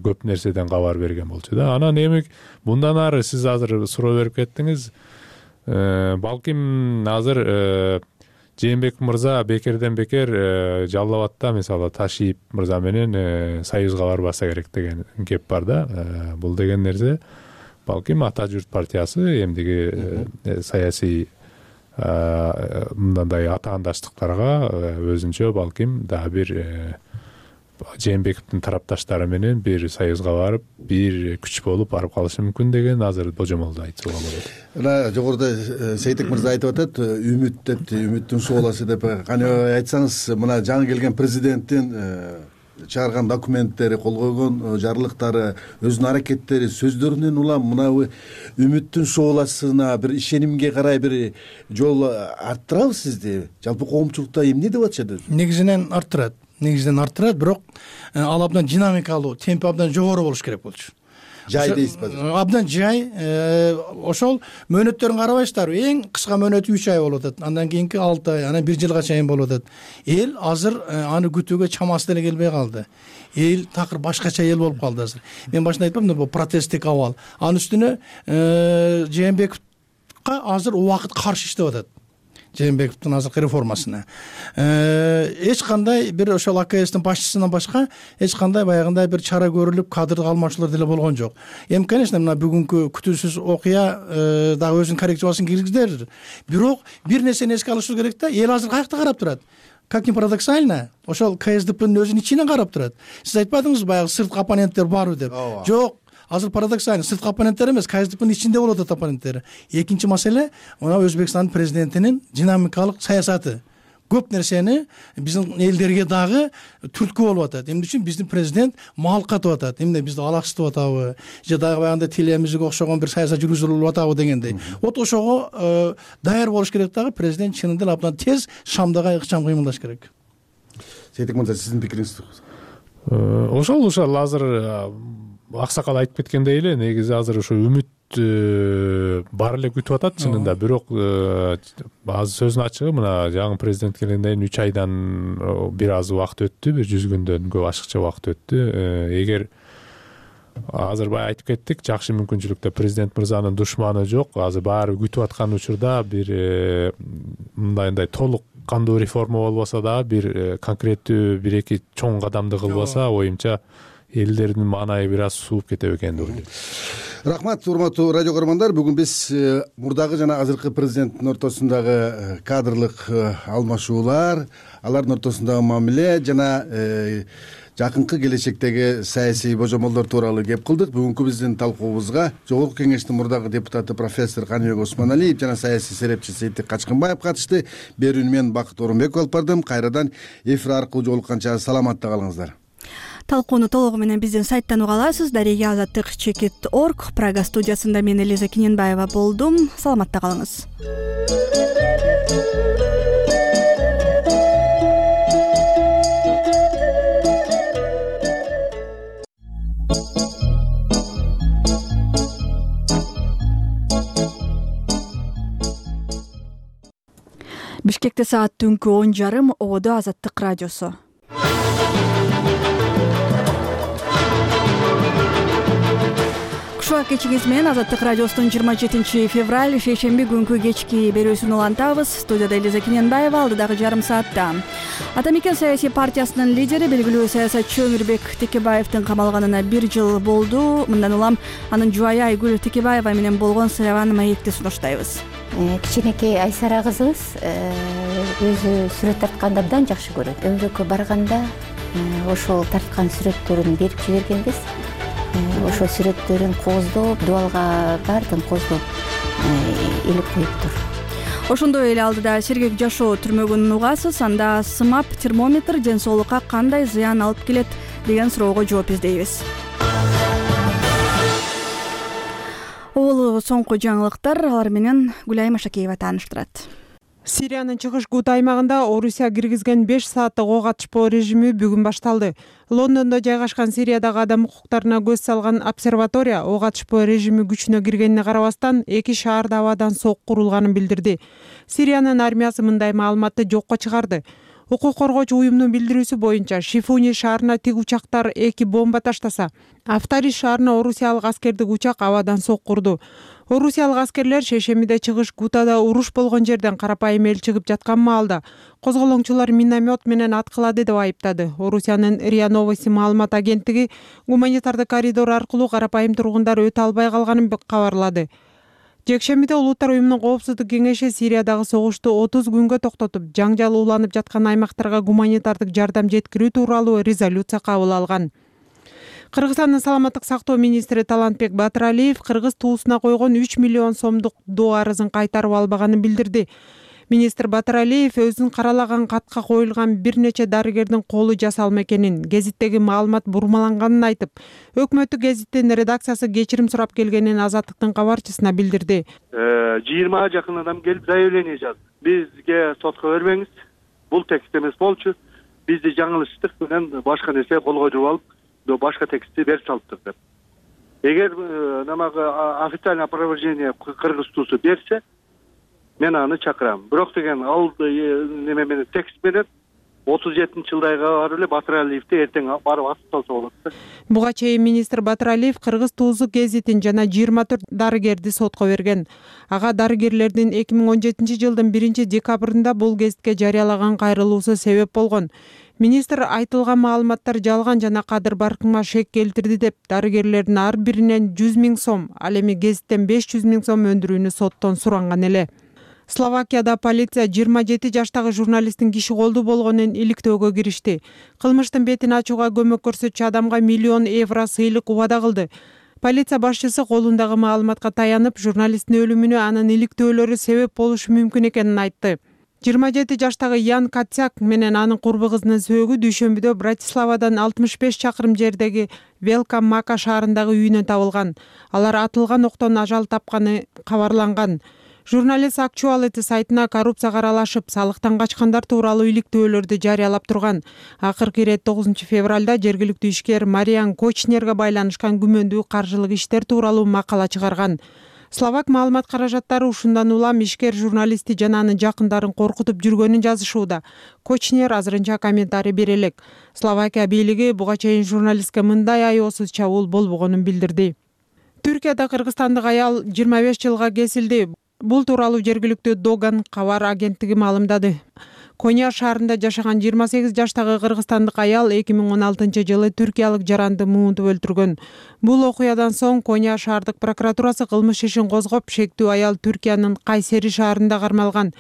көп нерседен кабар берген болчу да. Анан эми мындан ары сиз азыр суроо берип кеттиңиз. Балким азыр Жээнбек мырза бекерден бекер Жалал абадда мисалы Ташиев мырза менен союзга барбаса керек деген кеп бар да. Бул деген нерсе балким Ата журт партиясы эмдиги саясий мындай атаандаштыктарга өзүнчө балким дагы бир Жээнбековдун тарапташтары менен бир союзга барып, бир күч болуп барып калышы мүмкүн деген азыр божомолду айтууга болот. Мына жогоруда Сейтек мырза айтып атат, үмүт деп, үмүттүн сууласы деп. Кане айтсаңыз, мына жаңы келген президенттин чыгарган документтери, кол койгон жарлыктары, өзүнүн аракеттери, сөздөрүнөн улам мына үмүттүн шооласына, бир ишенимге карай бир жол арттырабы сизди? Жалпы коомчулукта эмне деп атышат? Негизинен арттырат. Негизинен арттырат, бирок ал абдан динамикалуу, темпи абдан жогору болуш керек болчу. Жай дейсизби? Абдан жай. Ошол мөөнөттөрүн карабайсыздарбы? Эң кыска мөөнөт үч ай болуп атат. Андан кийинки алты ай, анан бир жылга чейин болуп атат. Эл азыр аны күтүүгө чамасы деле келбей калды. Эл такыр башкача эл болуп калды азыр. Мен башында айтпамдымбы, бул протесттик абал. Анын үстүнө Жээнбековго азыр убакыт каршы иштеп атат. Жээнбековдун азыркы реформасына. Эч кандай бир ошол АКСтин башчысынан башка эч кандай баягындай бир чара көрүлүп, кадр алмашуулар деле болгон жок. Эми, конечно, мына бүгүнкү күтүүсүз окуя дагы өзүнүн коррекциясын киргизди. Бирок бир нерсени эске алышыбыз керек да, эл азыр каякта карап турат. Как ни парадоксально, ошол КСДПнын өзүнүн ичинен карап турат. Сиз айтпадыңызбы, баягы сырткы оппоненттер барбы деп? Жок. Азыр парадоксально, сырткы оппоненттер эмес, КСДПнын ичинде болуп атат оппоненттер. Экинчи маселе, мына Өзбекстандын президентинин динамикалык саясаты. Көп нерсени биздин элдерге дагы түрткү болуп атат. Эмне үчүн биздин президент мал катып атат? Эмне бизди алаксытып атабы? Же дагы баягындай телемизге окшогон бир саясат жүргүзүлүп атабы дегендей. Вот ошого даяр болуш керек дагы, президент чынында эле абдан тез шамдага ыкчам кыймылдаш керек. Сейтек мырза, сиздин пикириңиз? Ошол ошол азыр аксакал айтып кеткендей эле, негизи азыр ошо үмүт бар эле күтүп атат чынында. Бирок азыр сөздүн ачыгы, мына жаңы президент келгенден кийин үч айдан бир аз убакыт өттү, бир жүз күндөн көп ашыкча убакыт өттү. Эгер азыр бай айтып кеттик, жакшы мүмкүнчүлүктө президент мырзанын душманы жок. Азыр баары күтүп аткан учурда бир мындайындай толук кандуу реформа болбосо дагы бир конкреттүү бир эки чоң кадамды кылбаса, оюмча элдердин маанайы бир аз сууп кетет экен деп ойлойм. Рахмат, урматтуу радио көрөрмандар. Бүгүн биз мурдагы жана азыркы президенттин ортосундагы кадрлык алмашуулар, алардын ортосундагы мамиле жана жакынкы келечектеги саясий божомолдор тууралуу кеп кылдык. Бүгүнкү биздин талкуубузга Жогорку Кеңештин мурдагы депутаты профессор Каныбек Осмоналиев жана саясий серепчи Сейтек Качкынбаев катышты. Берүүнү мен Бакыт Орунбеков алып бардым. Кайрадан эфир аркылуу жолукканча саламатта калыңыздар. Талкууну толугу менен биздин сайттан уга аласыз. Дарега азаттык чекит точка орг. Прага студиясында мен Элиза Киненбаева болдум. Саламатта калыңыз. Бишкекте саат түнкү он жарым. Ободо Азаттык радиосу. Кушуак кечиңиз менен Азаттык радиосунун жыйырма жетинчи февраль шейшемби күнкү кечки берүүсүн улантабыз. Студияда Элиза Киненбаева. Алдыдагы жарым саатта Ата Мекен саясий партиясынын лидери, белгилүү саясатчы Өмүрбек Текебаевдин камалганына бир жыл болду. Мындан улам анын жубайы Айгүл Текебаева менен болгон сырабан маекти сунуштайбыз. Кичинекей Айсара кызыбыз өзү сүрөт тартканды абдан жакшы көрөт. Өмүрөккө барганда ошол тарткан сүрөттөрүн берип жибергенбиз. Ошол сүрөттөрүн кооздоп, дубалга баардыгын кооздоп илип коюптур. Ошондой эле алдыда сергек жашоо түрмөгүн угасыз. Анда сымап термометр ден соолукка кандай зыян алып келет деген суроого жооп издейбиз. Улуу соңку жаңылыктар, алар менен Гүлайым Ашакеева тааныштырат. Сириянын чыгыш Гута аймагында Орусия киргизген беш сааттык ок атышпоо режими бүгүн башталды. Лондондо жайгашкан Сириядагы адам укуктарына көз салган обсерватория ок атышпоо режими күчүнө киргенине карабастан эки шаарда абадан сок курулганын билдирди. Сириянын армиясы мындай маалыматты жокко чыгарды. Укук коргоочу уюмдун билдирүүсү боюнча Шифуни шаарына тик учактар эки бомба таштаса, Афтариш шаарына орусиялык аскердик учак абадан сок курду. Орусиялык аскерлер шейшембиде чыгыш Гутада уруш болгон жерден карапайым эл чыгып жаткан маалда козголоңчулар миномет менен аткылады деп айыптады. Орусиянын РИА Новости маалымат агенттиги гуманитардык коридор аркылуу карапайым тургундар өтө албай калганын кабарлады. Жекшембиде Улуттар уюмунун коопсуздук кеңеши Сириядагы согушту отуз күнгө токтотуп, жаңжал уланып жаткан аймактарга гуманитардык жардам жеткирүү тууралуу резолюция кабыл алган. Кыргызстандын саламаттык сактоо министри Талантбек Батыралиев кыргыз туусуна койгон үч миллион сомдук доо арызын кайтарып албаганын билдирди. Министр Батыралиев өзүн каралаган катка коюлган бир нече дарыгердин колу жасалма экенин, гезиттеги маалымат бурмаланганын айтып, өкмөттүк гезиттин редакциясы кечирим сурап келгенин Азаттыктын кабарчысына билдирди. жыйырмага жакын адам келип заявление жазды. Бизге сотко бербеңиз, бул текст эмес болчу, бизди жаңылыштык менен башка нерсе колго жууп алып, башка текстти берип салыптыр деп. Эгер намагы официальный опровержение кыргыз туусу берсе, мен аны чакырам. Бирок деген ал неме менен текст менен отуз жетинчи жылдайга барып эле Батыралиевди эртең барып асып салса болот да. Буга чейин министр Батыралиев кыргыз туузу гезитин жана жыйырма төрт дарыгерди сотко берген. Ага дарыгерлердин эки миң он жетинчи жылдын биринчи декабрында бул гезитке жарыялаган кайрылуусу себеп болгон. Министр айтылган маалыматтар жалган жана кадыр баркыңа шек келтирди деп дарыгерлердин ар биринен жүз миң сом, ал эми гезиттен беш жүз миң сом өндүрүүнү соттон суранган эле. Словакияда полиция жыйырма жети жаштагы журналисттин киши колду болгонун иликтөөгө киришти. Кылмыштын бетин ачууга көмөк көрсөтчү адамга миллион евро сыйлык убада кылды. Полиция башчысы колундагы маалыматка таянып, журналисттин өлүмүнө анын иликтөөлөрү себеп болушу мүмкүн экенин айтты. жыйырма жети жаштагы Ян Катсяк менен анын курбу кызынын сөөгү дүйшөмбүдө Братиславадан алтымыш беш чакырым жердеги Велка Мака шаарындагы үйүнөн табылган. Алар атылган октон ажал тапканы кабарланган. Журналист Actuality сайтына коррупцияга аралашып, салыктан качкандар тууралуу иликтөөлөрдү жарыялап турган. Акыркы ирет тогузунчу февралда жергиликтүү ишкер Мариан Кочнерге байланышкан күмөндүү каржылык иштер тууралуу макала чыгарган. Словак маалымат каражаттары ушундан улам ишкер журналистти жана анын жакындарын коркутуп жүргөнүн жазышууда. Кочнер азырынча комментарий бере элек. Словакия бийлиги буга чейин журналистке мындай аеосуз чабуул болбогонун билдирди. Түркияда кыргызстандык аял жыйырма беш жылга кесилди. Бул тууралуу жергиликтүү Доган кабар агенттиги маалымдады. Коня шаарында жашаган жыйырма сегиз жаштагы кыргызстандык аял эки миң он алтынчы жылы түркиялык жаранды муунтуп өлтүргөн. Бул окуядан соң Коня шаардык прокуратурасы кылмыш ишин козгоп, шектүү аял Түркиянын Кайсери шаарында кармалган.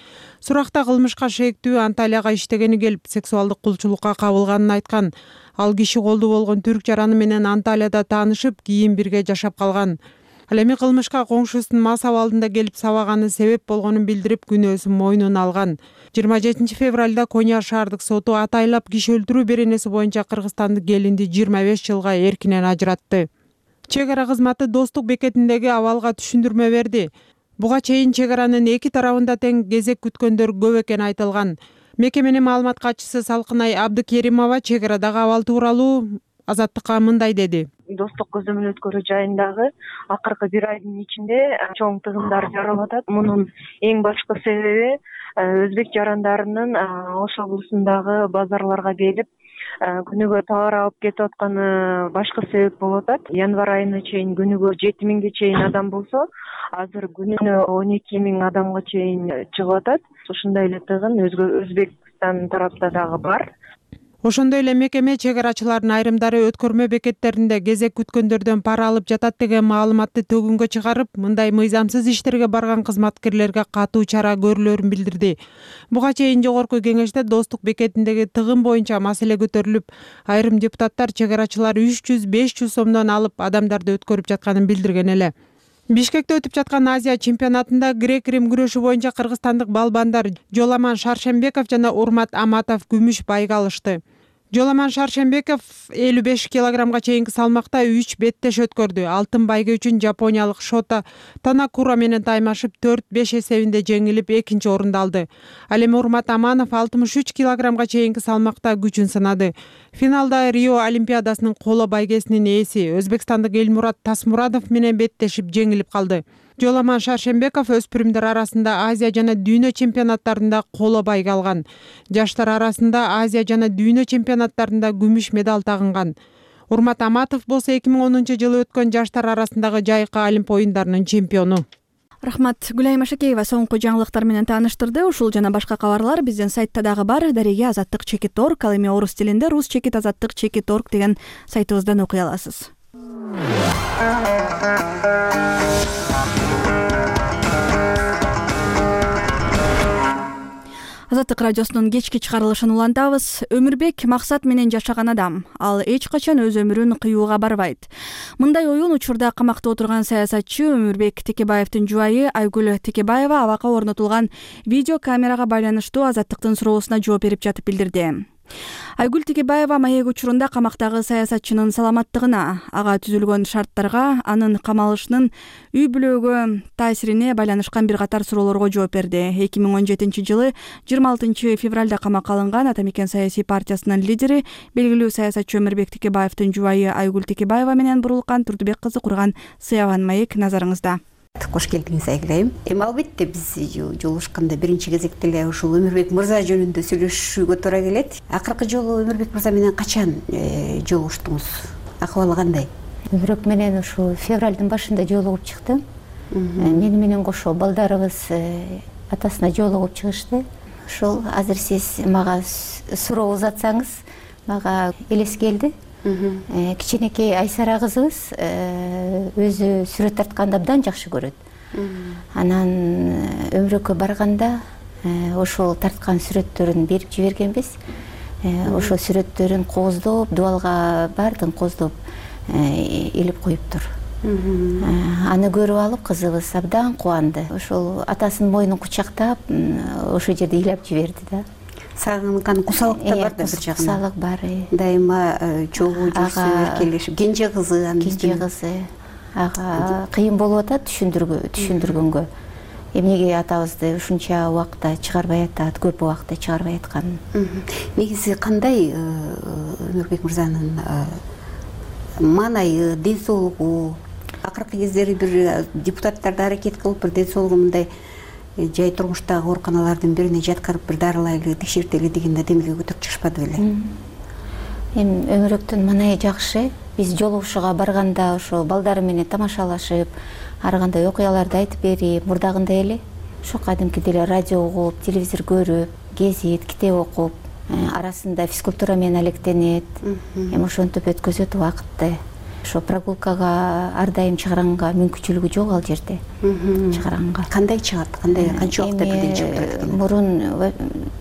Суракта кылмышка шектүү Анталияга иштегени келип, сексуалдык кулчулукка кабылганын айткан. Ал киши колдуу болгон түрк жараны менен Анталияда таанышып, кийин бирге жашап калган. Ал эми кылмышка коңшусунун мас абалында келип сабаганы себеп болгонун билдирип, күнөөсүн мойнуна алган. жыйырма жетинчи февралда Коня шаардык соту атайлап киши өлтүрүү беренеси боюнча кыргызстандык келинди жыйырма беш жылга эркинен ажыратты. Чек ара кызматы Достук бекетиндеги абалга түшүндүрмө берди. Буга чейин чек аранын эки тарабында тең кезек күткөндөр көп экени айтылган. Мекеменин маалымат катчысы Салкынай Абдыкеримова чек арадагы абал тууралуу Азаттыкка мындай деди. Достук көзөмөл өткөрүү жайындагы акыркы бир айдын ичинде чоң тыгындар жаралып атат. Мунун эң башкы себеби өзбек жарандарынын Ош облусундагы базарларга келип күнүгө товар алып кетип атканы башкы себеп болуп атат. Январь айына чейин күнүгө жети миңге чейин адам болсо, азыр күнүнө он эки миң адамга чейин чыгып атат. Ушундай эле тыгын Өзбекстан тарапта дагы бар. Ошондой эле мекеме чек арачылардын айрымдары өткөрмө бекеттеринде кезек күткөндөрдөн пара алып жатат деген маалыматты төгүнгө чыгарып, мындай мыйзамсыз иштерге барган кызматкерлерге катуу чара көрүлөрүн билдирди. Буга чейин жогорку кеңеште Достук бекетиндеги тыгын боюнча маселе көтөрүлүп, айрым депутаттар чек арачылар үч жүз беш жүз сомдон алып адамдарды өткөрүп жатканын билдирген эле. Бишкекте өтүп жаткан Азия чемпионатында грек-рим күрөшү боюнча кыргызстандык балбандар Жоламан Шаршембеков жана Урмат Аматов күмүш байга алышты. Жоламан Шаршембеков элүү беш килограммга чейинки салмакта үч беттеш өткөрдү. Алтын байга үчүн жапониялык Шота Танакура менен таймашып төрт беш эсебинде жеңилип экинчи орунду алды. Ал эми Урмат Аманов алтымыш үч килограммга чейинки салмакта күчүн сынады. Финалда Рио Олимпиадасынын коло байгесинин ээси Өзбекстандык Элмурат Тасмурадов менен беттешип жеңилип калды. Жоламан Шаршембеков өспүрүмдөр арасында Азия жана дүйнө чемпионаттарында коло байга алган. Жаштар арасында Азия жана дүйнө чемпионаттарында күмүш медаль тагынган. Урмат Аматов болсо эки миң онунчу жылы өткөн жаштар арасындагы жайкы Олимп оюндарынын чемпиону. Рахмат. Гүлайым Ашакеева соңку жаңылыктар менен тааныштырды. Ушул жана башка кабарлар биздин сайтта дагы бар. Дареге азаттык чекит точка орг, ал эми орус тилинде рус чекит азаттык чекит точка орг деген сайтыбыздан окуй аласыз. Азаттык радиосунун кечки чыгарылышын улантабыз. Өмүрбек максат менен жашаган адам. Ал эч качан өз өмүрүн кыюуга барбайт. Мындай оюн учурда камакта отурган саясатчы Өмүрбек Текебаевдин жубайы Айгүл Текебаева абакка орнотулган видео камерага байланыштуу Азаттыктын суроосуна жооп берип жатып билдирди. Айгүл Текебаева маек учурунда камактагы саясатчынын саламаттыгына, ага түзүлгөн шарттарга, анын камалышынын үй бүлөгө таасирине байланышкан бир катар суроолорго жооп берди. эки миң он жетинчи жылы жыйырма алтынчы февралда камакка алынган Ата Мекен саясий партиясынын лидери, белгилүү саясатчы Өмүрбек Текебаевдин жубайы Айгүл Текебаева менен Бурулкан Турдубек кызы курган Сыяван маек назарыңызда. Кош келдиңиз Айгүл. Эми албетте биз жолугушканда биринчи кезекте эле ушул Өмүрбек мырза жөнүндө сөйлөшүүгө туура келет. Акыркы жолу Өмүрбек мырза менен качан жолугуштуңуз? Акыбалы кандай? Өмүрбек менен ушул февралдын башында жолугуп чыктым. Мени менен кошо балдарыбыз атасына жолугуп чыгышты. Ушул азыр сиз мага суроо узатсаңыз, мага элес келди. Кичинекей Айсара кызыбыз өзү сүрөт тартканды абдан жакшы көрөт. Анан Өмүрбеккө барганда ошол тарткан сүрөттөрүн берип жибергенбиз. Ошол сүрөттөрүн кооздоп, дубалга баардыгын кооздоп илип коюптур. Аны көрүп алып кызыбыз абдан кубанды. Ошол атасынын мойнун кучактап, ошол жерде ыйлап жиберди да. Сагынкан кусалык да бар да бир жагынан. Кусалык бар. Дайыма чогуу жүрсө, эркелешип, кенже кызы, кенже кызы. Ага кыйын болуп атат түшүндүргө, түшүндүргөнгө. Эмнеге атабызды ушунча убакта чыгарбай атат, көп убакта чыгарбай атканын. Негизи кандай Өмүрбек мырзанын маанайы, ден соолугу, акыркы кездери бир депутаттарды аракет кылып, бир ден соолугу мындай жай турмуштагы ооруканалардын бирине жаткырып бир дарылайлы, текшертели дегенде демилге көтөрүп чыгышпады беле? Эми Өмүрбектин маанайы жакшы. Биз жолугушууга барганда ошо балдары менен тамашалашып, ар кандай окуяларды айтып берип, мурдагындай эле ошо кадимкидей эле радио угуп, телевизор көрүп, кезит, китеп окуп, арасында физкультура менен алектенет. Эми ошентип өткөзөт убакытты. Ошо прогулкага ар дайым чыгарганга мүмкүнчүлүгү жок ал жерде. Чыгарганга. Кандай чыгат? Кандай канча убакытта бирден чыгып турат экен? Мурун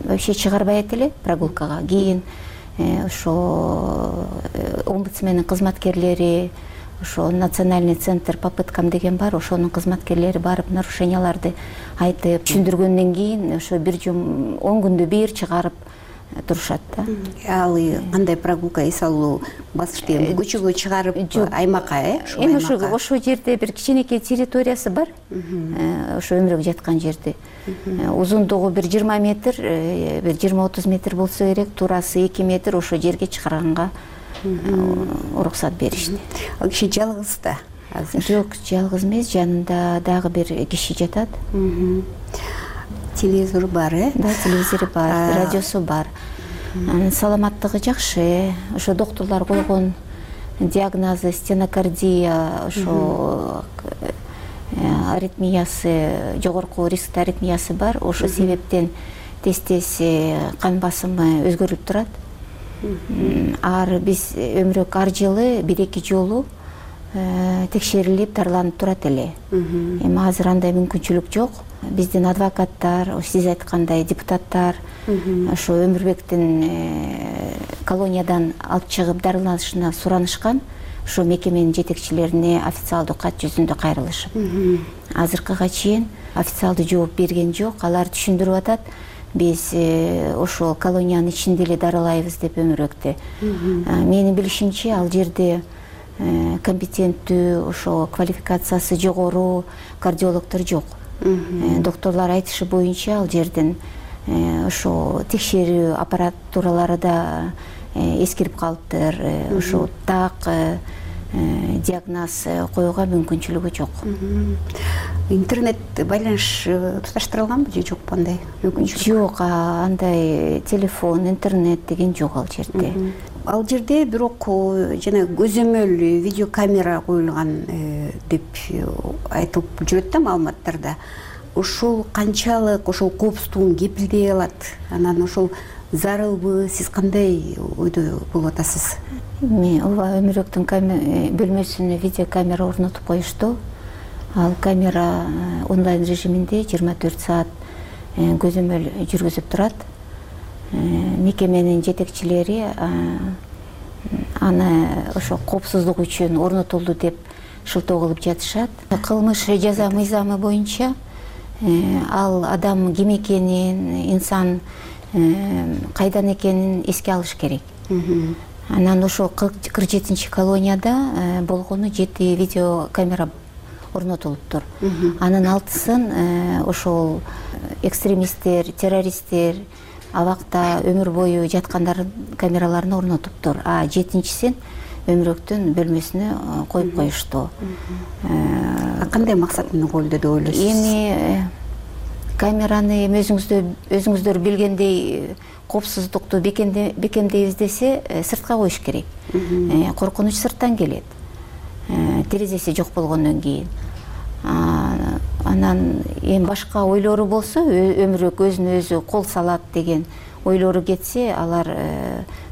вообще чыгарбайт эле прогулкага. Кийин ошо омбудсмендин кызматкерлери, ошо национальный центр попыткам деген бар, ошонун кызматкерлери барып нарушенияларды айтып түшүндүргөндөн кийин ошо бир жум он күндө бир чыгарып турушат да. Ал кандай прогулка, эс алуу басышты көчөгө чыгарып аймакка, э? Эми ошо ошо жерде бир кичинекей территориясы бар. Ошо өмүрөк жаткан жерде. Узундугу бир жыйырма метр, бир жыйырма отуз метр болсо керек, туурасы эки метр, ошо жерге чыгарганга уруксат беришти. Ал киши жалгыз да азыр? Жок, жалгыз эмес, жанында дагы бир киши жатат. Телевизору бар, э? Да, телевизору бар, радиосу бар. Анын саламаттыгы жакшы. Ошо доктурлар койгон диагнозу стенокардия, ошо аритмиясы, жогорку рисктүү аритмиясы бар. Ошо себептен тез-тез кан басымы өзгөрүп турат. Ар биз өмүрөк ар жылы бир-эки жолу текшерилип дарыланып турат эле. Эми азыр андай мүмкүнчүлүк жок. Биздин адвокаттар, сиз айткандай депутаттар ошо Өмүрбектин колониядан алып чыгып дарыланышына суранышкан. Ошо мекеменин жетекчилерине официалдуу кат жүзүндө кайрылышып. Азыркыга чейин официалдуу жооп берген жок. Алар түшүндүрүп атат, биз ошол колониянын ичинде эле дарылайбыз деп Өмүрбекти. Менин билишимче, ал жерде компетенттүү, ошо квалификациясы жогору кардиологдор жок. Докторлор айтышы боюнча ал жерден ошо текшерүү аппаратуралары да эскирип калыптыр. Ошо так диагноз коюуга мүмкүнчүлүгү жок. Интернет байланыш туташтырылганбы же жокпу андай мүмкүнчүлүк? Жок, андай телефон, интернет деген жок ал жерде. Ал жерде бирок жана көзөмөл видеокамера коюлган деп айтылып жүрөт да маалыматтарда. Ошол канчалык ошол коопсуздугун кепилдей алат? Анан ошол зарылбы? Сиз кандай ойдо болуп атасыз? Эми ооба, Өмүрөктүн бөлмөсүнө видеокамера орнотуп коюшту. Ал камера онлайн режиминде жыйырма төрт саат көзөмөл жүргүзүп турат. Мекеменин жетекчилери аны ошо коопсуздук үчүн орнотулду деп шылтоо кылып жатышат. Кылмыш жаза мыйзамы боюнча ал адам ким экенин, инсан кайдан экенин эске алыш керек. Анан ошо кырк жетинчи колонияда болгону жети видеокамера орнотулуптур. Анын алтысын ошол экстремисттер, террористтер абакта өмүр бою жаткандардын камераларына орнотуптур. А жетинчисин Өмүрөктүн бөлмөсүнө коюп коюшту. Кандай максат менен коюлду деп ойлойсуз? Эми камераны эми өзүңүздөр билгендей коопсуздукту бекемдейбиз десе сыртка коюш керек. Коркунуч сырттан келет. Терезеси жок болгондон кийин. Анан эми башка ойлору болсо, Өмүрөк өзүнө өзү кол салат деген ойлору кетсе, алар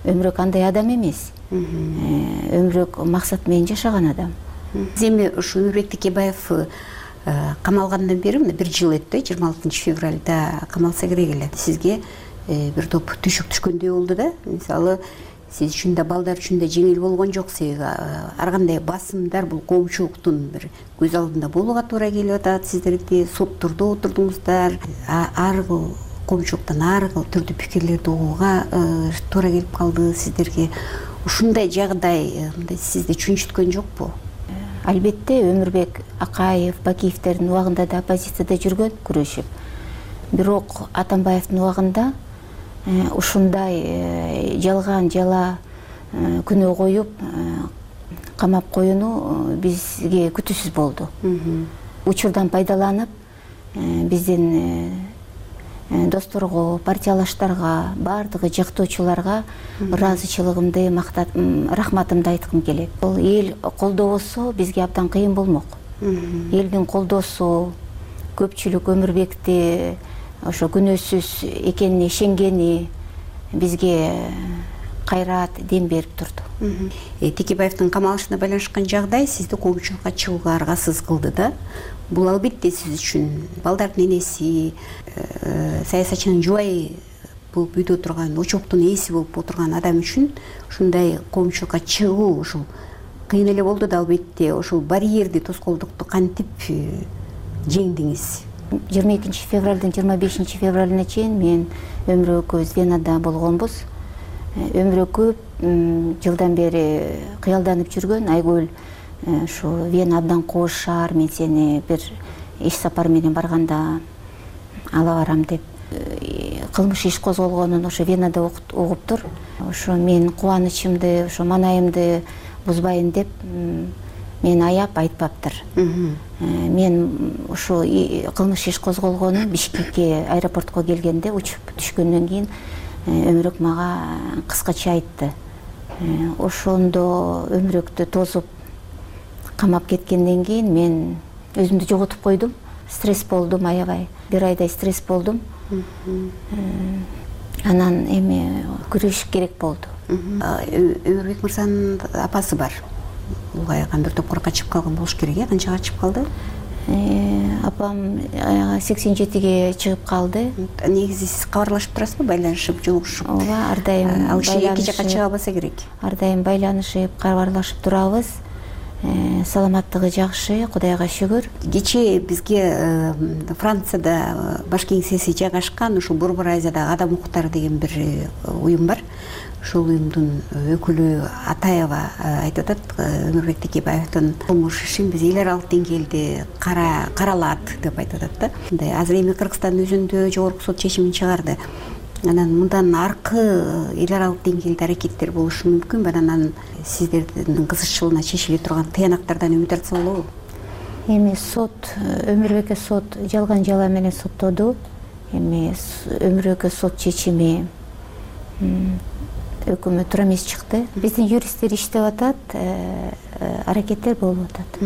Өмүрөк андай адам эмес. Өмүрөк максат менен жашаган адам. Эми ушу Өмүрбек Текебаев камалгандан бери мына бир жыл өттү, жыйырма алтынчы февралда камалса керек эле. Сизге бир топ түшүк түшкөндөй болду да. Мисалы, сиз үчүн да, балдар үчүн да жеңил болгон жок. Себеби ар кандай басымдар бул коомчулуктун бир көз алдында болууга туура келип атат. Сиздерди соттордо отурдуңуздар, ар кыл коомчулуктан ар кыл түрдүү пикирлерди угууга туура келип калды сиздерге. Ушундай жагдай сизди чүнчүткөн жокпу? Албетте, Өмүрбек Акаев, Бакиевтердин убагында да оппозицияда жүргөн, күрөшүп. Бирок Атамбаевдин убагында ушундай жалган жала күнөө коюп камап коюну бизге күтүүсүз болду. Учурдан пайдаланып, биздин досторго, партиялаштарга, бардыгы жактоочуларга ыраазычылыгымды, рахматымды айткым келет. Бул эл колдобосо бизге абдан кыйын болмок. Элдин колдоосу, көпчүлүк Өмүрбекти ошо күнөөсүз экенине ишенгени бизге кайрат, дем берип турду. Текебаевдин камалышына байланышкан жагдай сизди коомчулукка чыгууга аргасыз кылды да. Бул албетте сиз үчүн балдардын энеси, саясатчынын жубайы болуп үйдө турган, очоктун ээси болуп отурган адам үчүн ушундай коомчулукка чыгуу ушул кыйын эле болду да. Албетте ошол барьерди, тоскоолдукту кантип жеңдиңиз? жыйырма экинчи февралдын жыйырма бешинчи февралына чейин мен өмүрү экөөбүз Венада болгонбуз. Өмүрү көп жылдан бери кыялданып жүргөн Айгүл ушу Вена абдан кооз шаар, мен сени бир иш сапар менен барганда ала барам деп кылмыш иш козголгонун ошо Венада угуптур. Ошо мен кубанычымды, ошо маанайымды бузбайын деп мен аяп айтпаптыр. Мен ошо кылмыш иш козголгонун Бишкекке аэропортко келгенде учуп түшкөндөн кийин Өмүрөк мага кыскача айтты. Ошондо өмүрөктү тосуп камап кеткенден кийин мен өзүмдү жоготуп койдум. Стресс болдум, аябай. Бир айдай стресс болдум. Анан эми күрөшүш керек болду. Өмүрбек мырзанын апасы бар. Улгайган бир топкор качып калган болуш керек, э? Канчага качып калды? Апам сексен жетиге чыгып калды. Негизи сиз кабарлашып турасызбы, байланышып, жолугушуп? Ооба, ар дайым ал киши эки жакка чыга албаса керек. Ар дайым байланышып, кабарлашып турабыз. Саламаттыгы жакшы, Кудайга шүгүр. Кечээ бизге Францияда баш кеңсеси жайгашкан ушул Борбор Азиядагы адам укуктары деген бир уюм бар. Ушул уюмдун өкүлү Атаева айтып атат, Өмүрбек Текебаевдин кылмыш ишин биз эл аралык деңгээлде каралат деп айтып атат да. Мындай азыр эми Кыргызстандын өзүндө жогорку сот чечимин чыгарды. Анан мындан аркы эл аралык деңгээлде аракеттер болушу мүмкүн. Анан сиздердин кызыкчылыгына чечиле турган тыянактардан үмүт артса болобу? Эми сот, Өмүрбекке сот жалган жала менен соттоду. Эми Өмүрбекке сот чечими өкмөт тура эмес чыкты. Биздин юристтер иштеп атат, аракеттер болуп атат.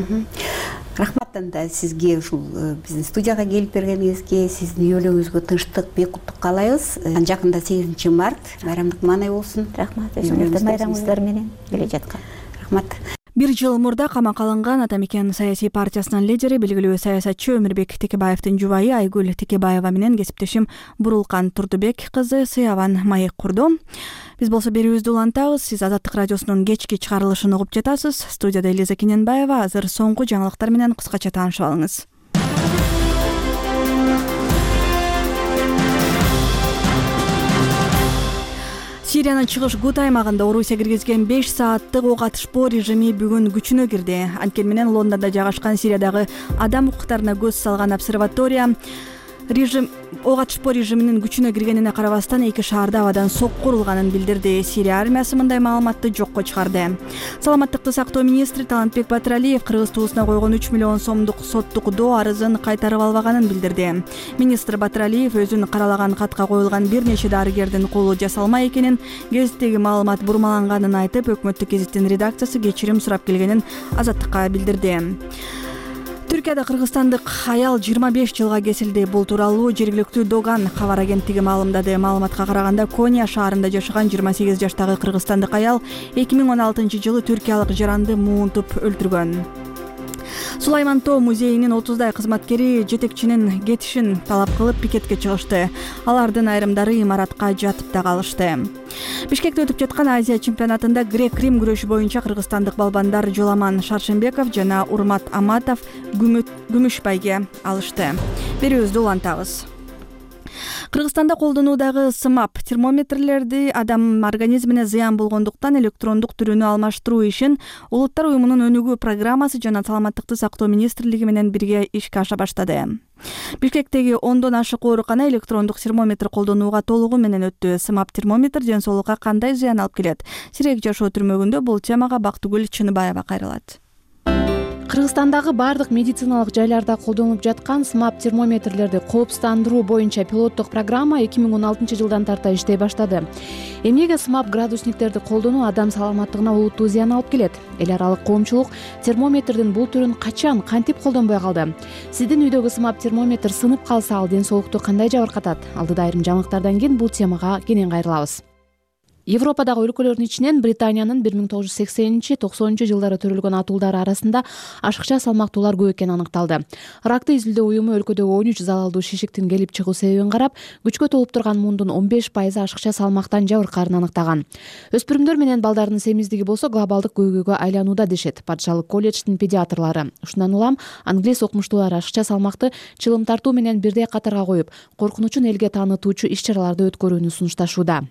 Рахмат анда сизге ушул биздин студияга келип бергениңизге, сиздин үй бүлөңүзгө тынчтык, бейкуттук каалайбыз. Жакында сегизинчи март байрамдык маанай болсун. Рахмат, өзүңүздүн байрамыңыздар менен келе жаткан. Рахмат. Бир жыл мурда камакка алынган Атамекен саясий партиясынын лидери, белгилүү саясатчы Өмүрбек Текебаевдин жубайы Айгүл Текебаева менен кесиптешим Бурулкан Турдубек кызы сыябан маек курду. Биз болсо берүүбүздү улантабыз. Сиз Азаттык радиосунун кечки чыгарылышын угуп жатасыз. Студияда Элиза Кененбаева. Азыр соңку жаңылыктар менен кыскача таанышып алыңыз. Сириянын чыгыш Гут аймагында Орусия киргизген беш сааттык ок атышпоо режими бүгүн күчүнө кирди. Анткени менен Лондондо жайгашкан Сириядагы адам укуктарына көз салган обсерватория режим ок атышпоо режиминин күчүнө киргенине карабастан эки шаарда абадан сокку урулганын билдирди. Сирия армиясы мындай маалыматты жокко чыгарды. Саламаттыкты сактоо министри Талантбек Батыралиев кыргыз туусуна койгон үч миллион сомдук соттук доо арызын кайтарып албаганын билдирди. Министр Батыралиев өзүн каралаган катка коюлган бир нече дарыгердин колу жасалма экенин, гезиттеги маалымат бурмаланганын айтып, өкмөттүк гезиттин редакциясы кечирим сурап келгенин Азаттыкка билдирди. Түркияда кыргызстандык аял жыйырма беш жылга кесилди. Бул тууралуу жергиликтүү Доган кабар агенттиги маалымдады. Маалыматка караганда Коня шаарында жашаган жыйырма сегиз жаштагы кыргызстандык аял эки миң он алтынчы жылы түркиялык жаранды муунтуп өлтүргөн. Сулайман Тоо музейинин отуздай кызматкери жетекчинин кетишин талап кылып пикетке чыгышты. Алардын айрымдары имаратка жатып да калышты. Бишкекте өтүп жаткан Азия чемпионатында грек-рим күрөшү боюнча кыргызстандык балбандар Жоламан Шаршембеков жана Урмат Аматов күмүш байге алышты. Берүүбүздү улантабыз. Кыргызстанда колдонуудагы сымап термометрлерди адам организмине зыян болгондуктан электрондук түрүнө алмаштыруу ишин Улуттар уюмунун өнүгүү программасы жана Саламаттыкты сактоо министрлиги менен бирге ишке аша баштады. Бишкектеги ондон ашык оорукана электрондук термометр колдонууга толугу менен өттү. Сымап термометр ден соолукка кандай зыян алып келет? Сирек жашоо түрмөгүндө бул темага Бактыгүл Чыныбаева кайрылат. Кыргызстандагы баардык медициналык жайларда колдонулуп жаткан смап термометрлерди кооптуздандыруу боюнча пилоттук программа эки миң он алтынчы жылдан тарта иштей баштады. Эмнеге смап градусниктерди колдонуу адам саламаттыгына олуттуу зыян алып келет? Эл аралык коомчулук термометрдин бул түрүн качан, кантип колдонбой калды? Сиздин үйдөгү смап термометр сынып калса, ал ден соолукту кандай жабыркатат? Алдыда айрым жаңылыктардан кийин бул темага кенен кайрылабыз. Европадагы өлкөлөрдүн ичинен Британиянын бир миң тогуз жүз сексенинчи токсонунчу жылдары төрөлгөн атуулдары арасында ашыкча салмактуулар көп экени аныкталды. Ракты изилдөө уюму өлкөдөгү он үч залалдуу шишиктин келип чыгуу себебин карап, күчкө толуп турган мундун он беш пайызы ашыкча салмактан жабыркаарын аныктаган. Өспүрүмдөр менен балдардын семиздиги болсо глобалдык көйгөйгө айланууда дешет Патшалык колледждин педиатрлары. Ушундан улам англис окумуштуулар ашыкча салмакты чылым тартуу менен бирдей катарга коюп, коркунучун элге таанытуучу иш-чараларды өткөрүүнү сунушташууда.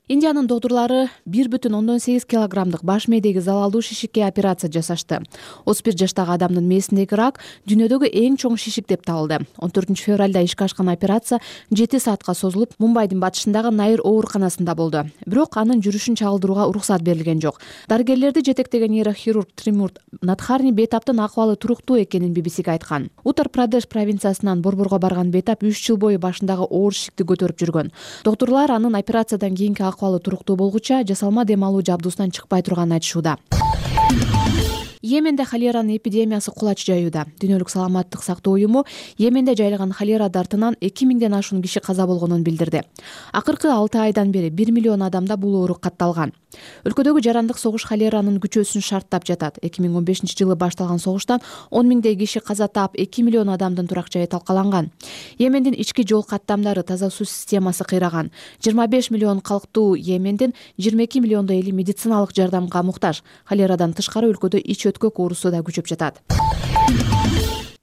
Индиянын доктурлары бир бүтүн ондон сегиз килограммдык баш мээдеги залалдуу шишикке операция жасашты. отуз бир жаштагы адамдын мээсиндеги рак дүйнөдөгү эң чоң шишик деп табылды. он төртүнчү февралда ишке ашкан операция жети саатка созулуп, Мумбайдын батышындагы Найр ооруканасында болду. Бирок анын жүрүшүн чагылдырууга уруксат берилген жок. Дарыгерлерди жетектеген нейрохирург Тримурт Надхарни бейтаптын акыбалы туруктуу экенин би би сиге айткан. Уттар-Прадеш провинциясынан Борборго барган бейтап үч жыл бою башындагы оор шишикти көтөрүп жүргөн. Доктурлар анын операциядан кийинки акыбалы туруктуу болгуча жасалма дем алуу жабдуусунан чыкпай турганын айтышууда. Йеменде холеранын эпидемиясы кулач жаюуда. Дүйнөлүк саламаттык сактоо уюму Йеменде жайлаган холера дартынан эки миңден ашуун киши каза болгонун билдирди. Акыркы алты айдан бери бир миллион адамда бул оору катталган. Өлкөдөгү жарандык согуш холеранын күчөөсүн шарттап жатат. эки миң он бешинчи жылы башталган согуштан он миңдей киши каза таап, эки миллион адамдын турак жайы талкаланган. Йемендин ички жол каттамдары, таза суу системасы кыйраган. жыйырма беш миллион калктуу Йемендин жыйырма эки миллиондой эли медициналык жардамга муктаж. Холерадан тышкары өлкөдө ич өткөк оорусу да күчөп жатат.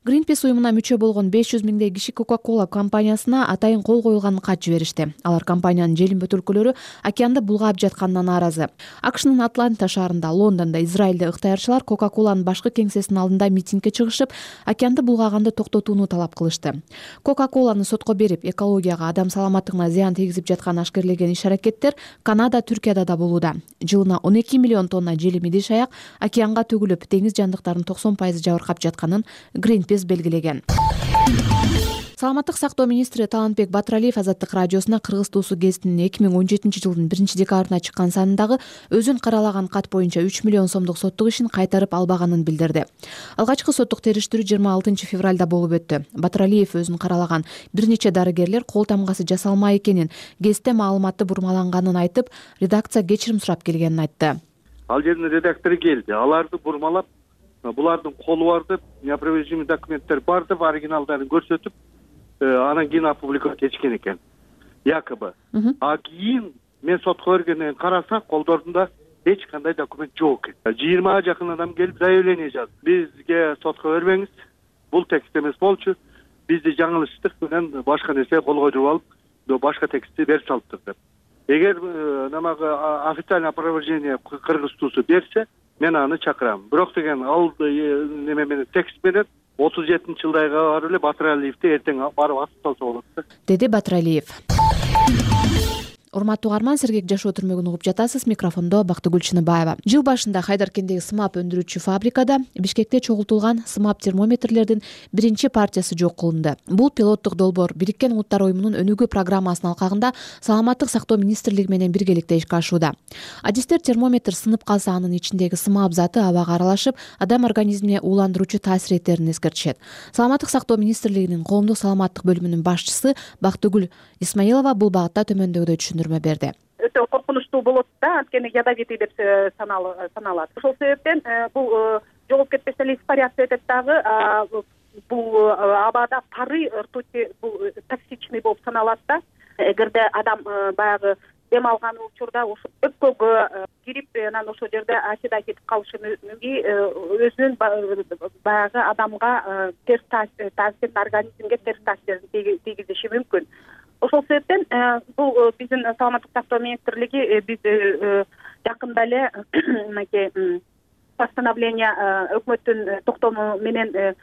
Greenpeace уюмуна мүчө болгон беш жүз миңдей киши Coca-Cola компаниясына атайын кол коюлган кат жиберишти. Алар компаниянын желим бөтөлкөлөрү океанды булгаап жатканына нааразы. АКШнын Атланта шаарында, Лондондо, Израилде ыктыярчылар Coca-Cola'нын башкы кеңсесинин алдында митингге чыгышып, океанды булгаганды токтотууну талап кылышты. Coca-Cola'ны сотко берип, экологияга, адам саламаттыгына зыян тийгизип жаткан ашкерлеген иш-аракеттер Канада, Түркияда да болууда. Жылына он эки миллион тонна желим идиш аяк океанга төгүлүп, деңиз жандыктарынын токсон пайызы жабыркап жатканын Greenpeace белгилеген. Саламаттык сактоо министри Талантбек Батыралиев Азаттык радиосуна Кыргыз туусу гезитинин эки миң он жетинчи жылдын биринчи декабрына чыккан санындагы өзүн каралаган кат боюнча үч миллион сомдук соттук ишин кайтарып албаганын билдирди. Алгачкы соттук териштирүү жыйырма алтынчы февралда болуп өттү. Батыралиев өзүн каралаган бир нече дарыгерлер кол тамгасы жасалмай экенин, гезитте маалыматты бурмаланганын айтып, редакция кечирим сурап келгенин айтты. Ал жердин редактору келди, аларды бурмалап, булардын колу бар деп, неопровержимый документтер бар деп, оригиналдарын көрсөтүп, анан кийин опубликовать этишкен экен. Якобы. А кийин мен сотко бергенден караса, колдорунда эч кандай документ жок экен. жыйырмага жакын адам келип заявление жазды. Бизге сотко бербеңиз, бул текст эмес болчу. Бизди жаңылыштык менен башка нерсе кол койдуруп алып, башка текстти берип салыптыр деп. Эгер намагы официальный опровержение Кыргыз туусу берсе, мен аны чакырам. Бирок деген ал неме менен текст менен отуз жетинчи жылдайга барып эле Батыралиевди эртең барып асып салса болот да, деди Батыралиев. Урматтуу угарман, сергек жашоо түрмөгүн угуп жатасыз. Микрофондо Бактыгүл Чыныбаева. Жыл башында Хайдаркендеги смап өндүрүүчү фабрикада Бишкекте чогултулган смап термометрлердин биринчи партиясы жок кылынды. Бул пилоттук долбоор Бириккен Улуттар уюмунун өнүгүү программасынын алкагында Саламаттык сактоо министрлиги менен биргеликте ишке ашууда. Адистер термометр сынып калса, анын ичиндеги смап заты абага аралашып, адам организмине ууландыруучу таасир этерин эскертишет. Саламаттык сактоо министрлигинин коомдук саламаттык бөлүмүнүн башчысы Бактыгүл Исмаилова бул багытта төмөндөгүдөй түшүндүрмө берди. Өтө коркунучтуу болот да, анткени ядовитый деп саналат. Ошол себептен бул жогоп кетпесе эле испаряция өтөт дагы. Бул абада пары, ртути бул токсичный болуп саналат да. Эгерде адам баягы дем алган учурда ошо өпкөгө кирип, анан ошол жерде ачыда кетип калышы мүмкүн, өзүнүн баягы адамга терс таасир, организмге терс таасирин тийгизиши мүмкүн. Ошол себептен бул биздин Саламаттык сактоо министрлиги биз жакында эле мынакей постановление өкмөттүн токтому менен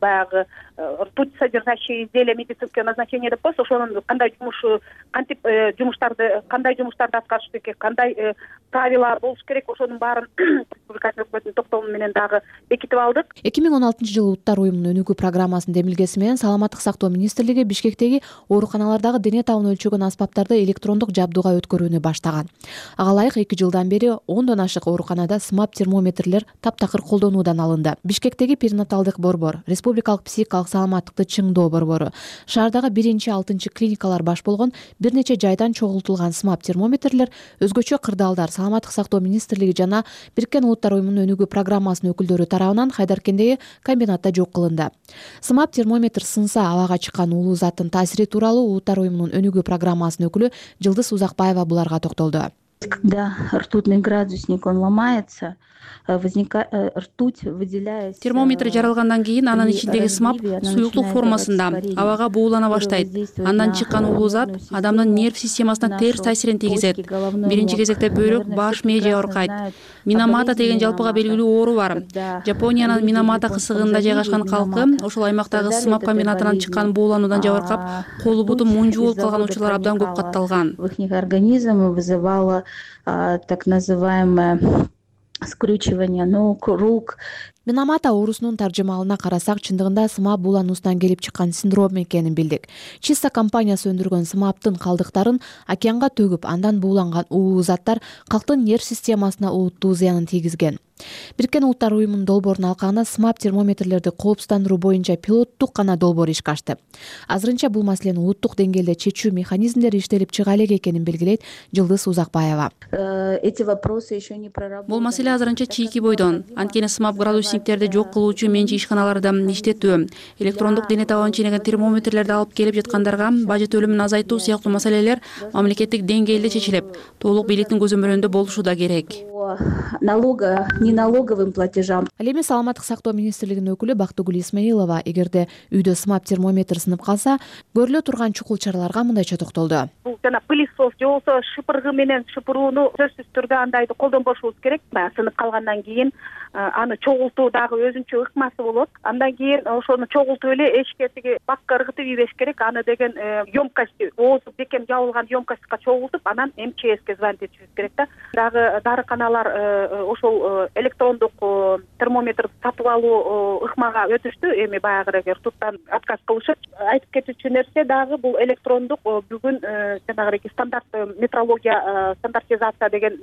баягы ртуть содержащие изделия медицинского назначения деп коебуз, ошонун кандай жумуш кантип жумуштарды кандай жумуштарды аткарыш керек, кандай правила болуш керек, ошонун баарын республиканын өкмөттүнүн токтому менен дагы бекитип алдык. эки миң он алтынчы жылы Улуттар уюмунун өнүгүү программасынын демилгеси менен Саламаттык сактоо министрлиги Бишкектеги ооруканалардагы дене табын өлчөгөн аспаптарды электрондук жабдууга өткөрүүнү баштаган. Ага ылайык эки жылдан бери ондон ашык ооруканада смап термометрлер таптакыр колдонуудан алынды. Бишкектеги перинаталдык борбор, республикалык психикалык саламаттыкты чыңдоо борбору, шаардагы биринчи алтынчы клиникалар баш болгон бир нече жайдан чогултулган смап термометрлер өзгөчө кырдаалдар Саламаттык сактоо министрлиги жана Бириккен Улуттар уюмунун өнүгүү программасынын өкүлдөрү тарабынан Хайдаркендеги комбинатта жок кылынды. Смап термометр сынса абага чыккан уулуу заттын таасири тууралуу Улуттар уюмунун өнүгүү программасынын өкүлү Жылдыз Узакбаева буларга токтолду. Когда ртутный градусник он ломается, возникает ртуть, выделяясь. Термометр жаралгандан кийин анын ичиндеги смап суюктук формасында абага буулана баштайт. Андан чыккан уулуу зат адамдын нерв системасына терс таасирин тийгизет. Биринчи кезекте бөйрөк, баш, мээ жабыркайт. Минамата деген жалпыга белгилүү оору бар. Жапониянын Минамата кысыгында жайгашкан калкы ошол аймактагы смап комбинатынан чыккан буулануудан жабыркап, колу буту мунжу болуп калган учурлар абдан көп катталган. Их организм вызывало так называемое скручивание ног, рук. Минамата оорусунун таржымалына карасак, чындыгында смап буулануусунан келип чыккан синдром экенин билдик. Чиста компаниясы өндүргөн смаптын калдыктарын океанга төгүп, андан бууланган уулуу заттар калктын нерв системасына олуттуу зыянын тийгизген. Бириккен Улуттар уюмунун долбоорунун алкагында смап термометрлерди коопсуздандыруу боюнча пилоттук гана долбоор ишке ашты. Азырынча бул маселени улуттук деңгээлде чечүү механизмдери иштелип чыга элек экенин белгилейт Жылдыз Узакбаева. Бул маселе азырынча чийки бойдон. Анткени смап градусниктерди жок кылуучу менчи ишканаларда иштетүү, электрондук дене табын ченеген термометрлерди алып келип жаткандарга бажет төлөмүн азайтуу сыяктуу маселелер мамлекеттик деңгээлде чечилип, толук бийликтин көзөмөлүндө болушу да керек. Налога, не налоговым платежам. Ал эми Саламаттык сактоо министрлигинин өкүлү Бактыгүл Исмаилова эгерде үйдө смап термометр сынып калса, көрүлө турган чукул чараларга мындайча токтолду. Бул жана пылесос же болбосо шыпыргы менен шыпырууну сөзсүз түрдө андайды колдонбошубуз керек. Сынып калгандан кийин аны чогултуу дагы өзүнчө ыкмасы болот. Андан кийин ошону чогултуп эле эшикке тиги бакка ыргытып ийбеш керек. Аны деген емкость, оозу бекем жабылган емкостька чогултуп, анан эм че эске звонить этишибиз керек да. Дагы дарыканалар ошол электрондук термометр сатып алуу ыкмага өтүштү. Эми баягы ртуттан отказ кылышып, айтып кетүүчү нерсе дагы бул электрондук бүгүн жанагы стандарт метрология стандартизация деген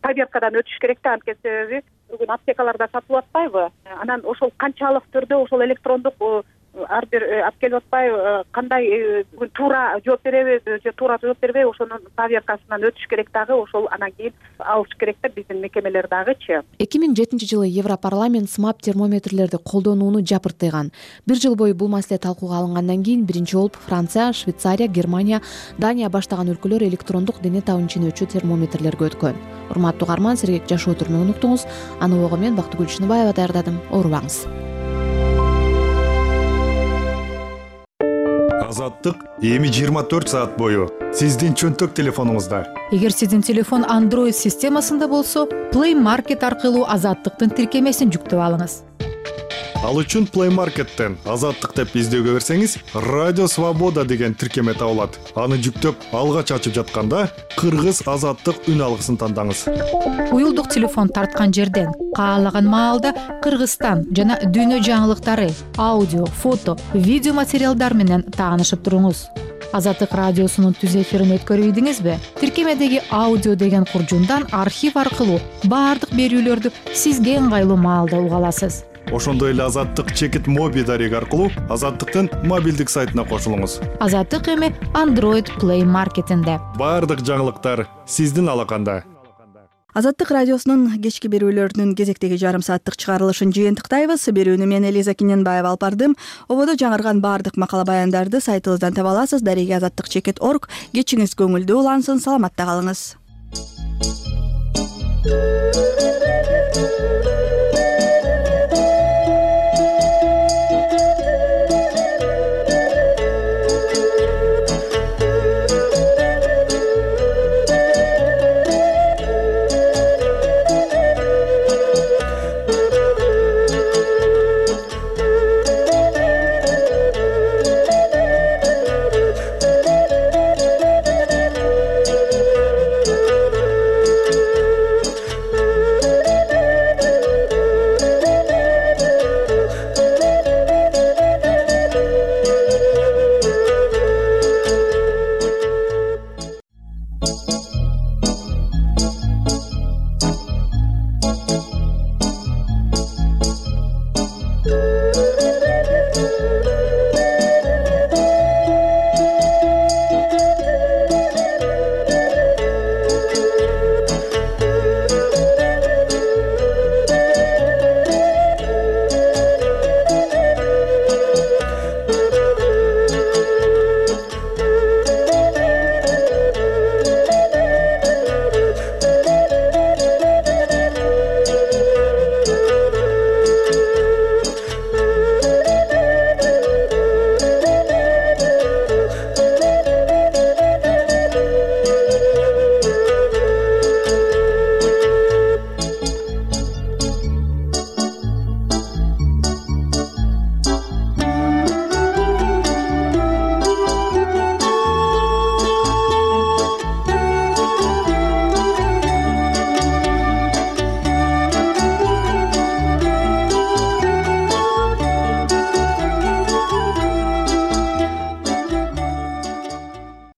проверкадан өтүш керек да. Анткени себеби бүгүн аптекаларда сатылып атпайбы? Анан ошол канчалык түрдө ошол электрондук ар бир алып келип атпайбы, кандай бүгүн туура жооп береби же туура жооп бербейби, ошонун проверкасынан өтүш керек дагы. Ошол анан кийин алыш керек да биздин мекемелер дагычы. эки миң жетинчи жылы Европарламент смап термометрлерди колдонууну жапыртыйган. Бир жыл бою бул маселе талкууга алынгандан кийин биринчи болуп Франция, Швейцария, Германия, Дания баштаган өлкөлөр электрондук дене табын ченөөчү термометрлерге өткөн. Урматтуу угарман, сергек жашоо түрмөгүн уктуңуз. Аны ого мен Бактыгүл Чыныбаева даярдадым. Оорубаңыз. Азаттык эми жыйырма төрт саат бою сиздин чөнтөк телефонуңузда. Эгер сиздин телефон Android системасында болсо, Play Market аркылуу Азаттыктын тиркемесин жүктөп алыңыз. Ал үчүн Play Market'тен Азаттык деп издөөгө берсеңиз, Радио Свобода деген тиркеме табылат. Аны жүктөп алгач ачып жатканда Кыргыз Азаттык үн алгысын тандаңыз. Уюлдук телефон тарткан жерден каалаган маалда Кыргызстан жана дүйнө жаңылыктары, аудио, фото, видео материалдар менен таанышып туруңуз. Азаттык радиосунун түз эфирин өткөрүйдүңүзбү? Тиркемедеги аудио деген куржундан архив аркылуу баардык берүүлөрдү сизге ыңгайлуу маалда уга аласыз. Ошондой эле Азаттык чекит моби дареги аркылуу Азаттыктын мобилдик сайтына кошулуңуз. Азаттык эми Android Play Market'инде. Баардык жаңылыктар сиздин алаканда. Азаттык радиосунун кечки берүүлөрүнүн кезектеги жарым сааттык чыгарылышын жыйынтыктайбыз. Берүүнү мен Элиза Киненбаева алып бардым. Ободо жаңырган баардык макала баяндарды сайтыбыздан таба аласыз. Дареги азаттык чекит точка орг. Кечиңиз көңүлдүү улансын, саламатта калыңыз.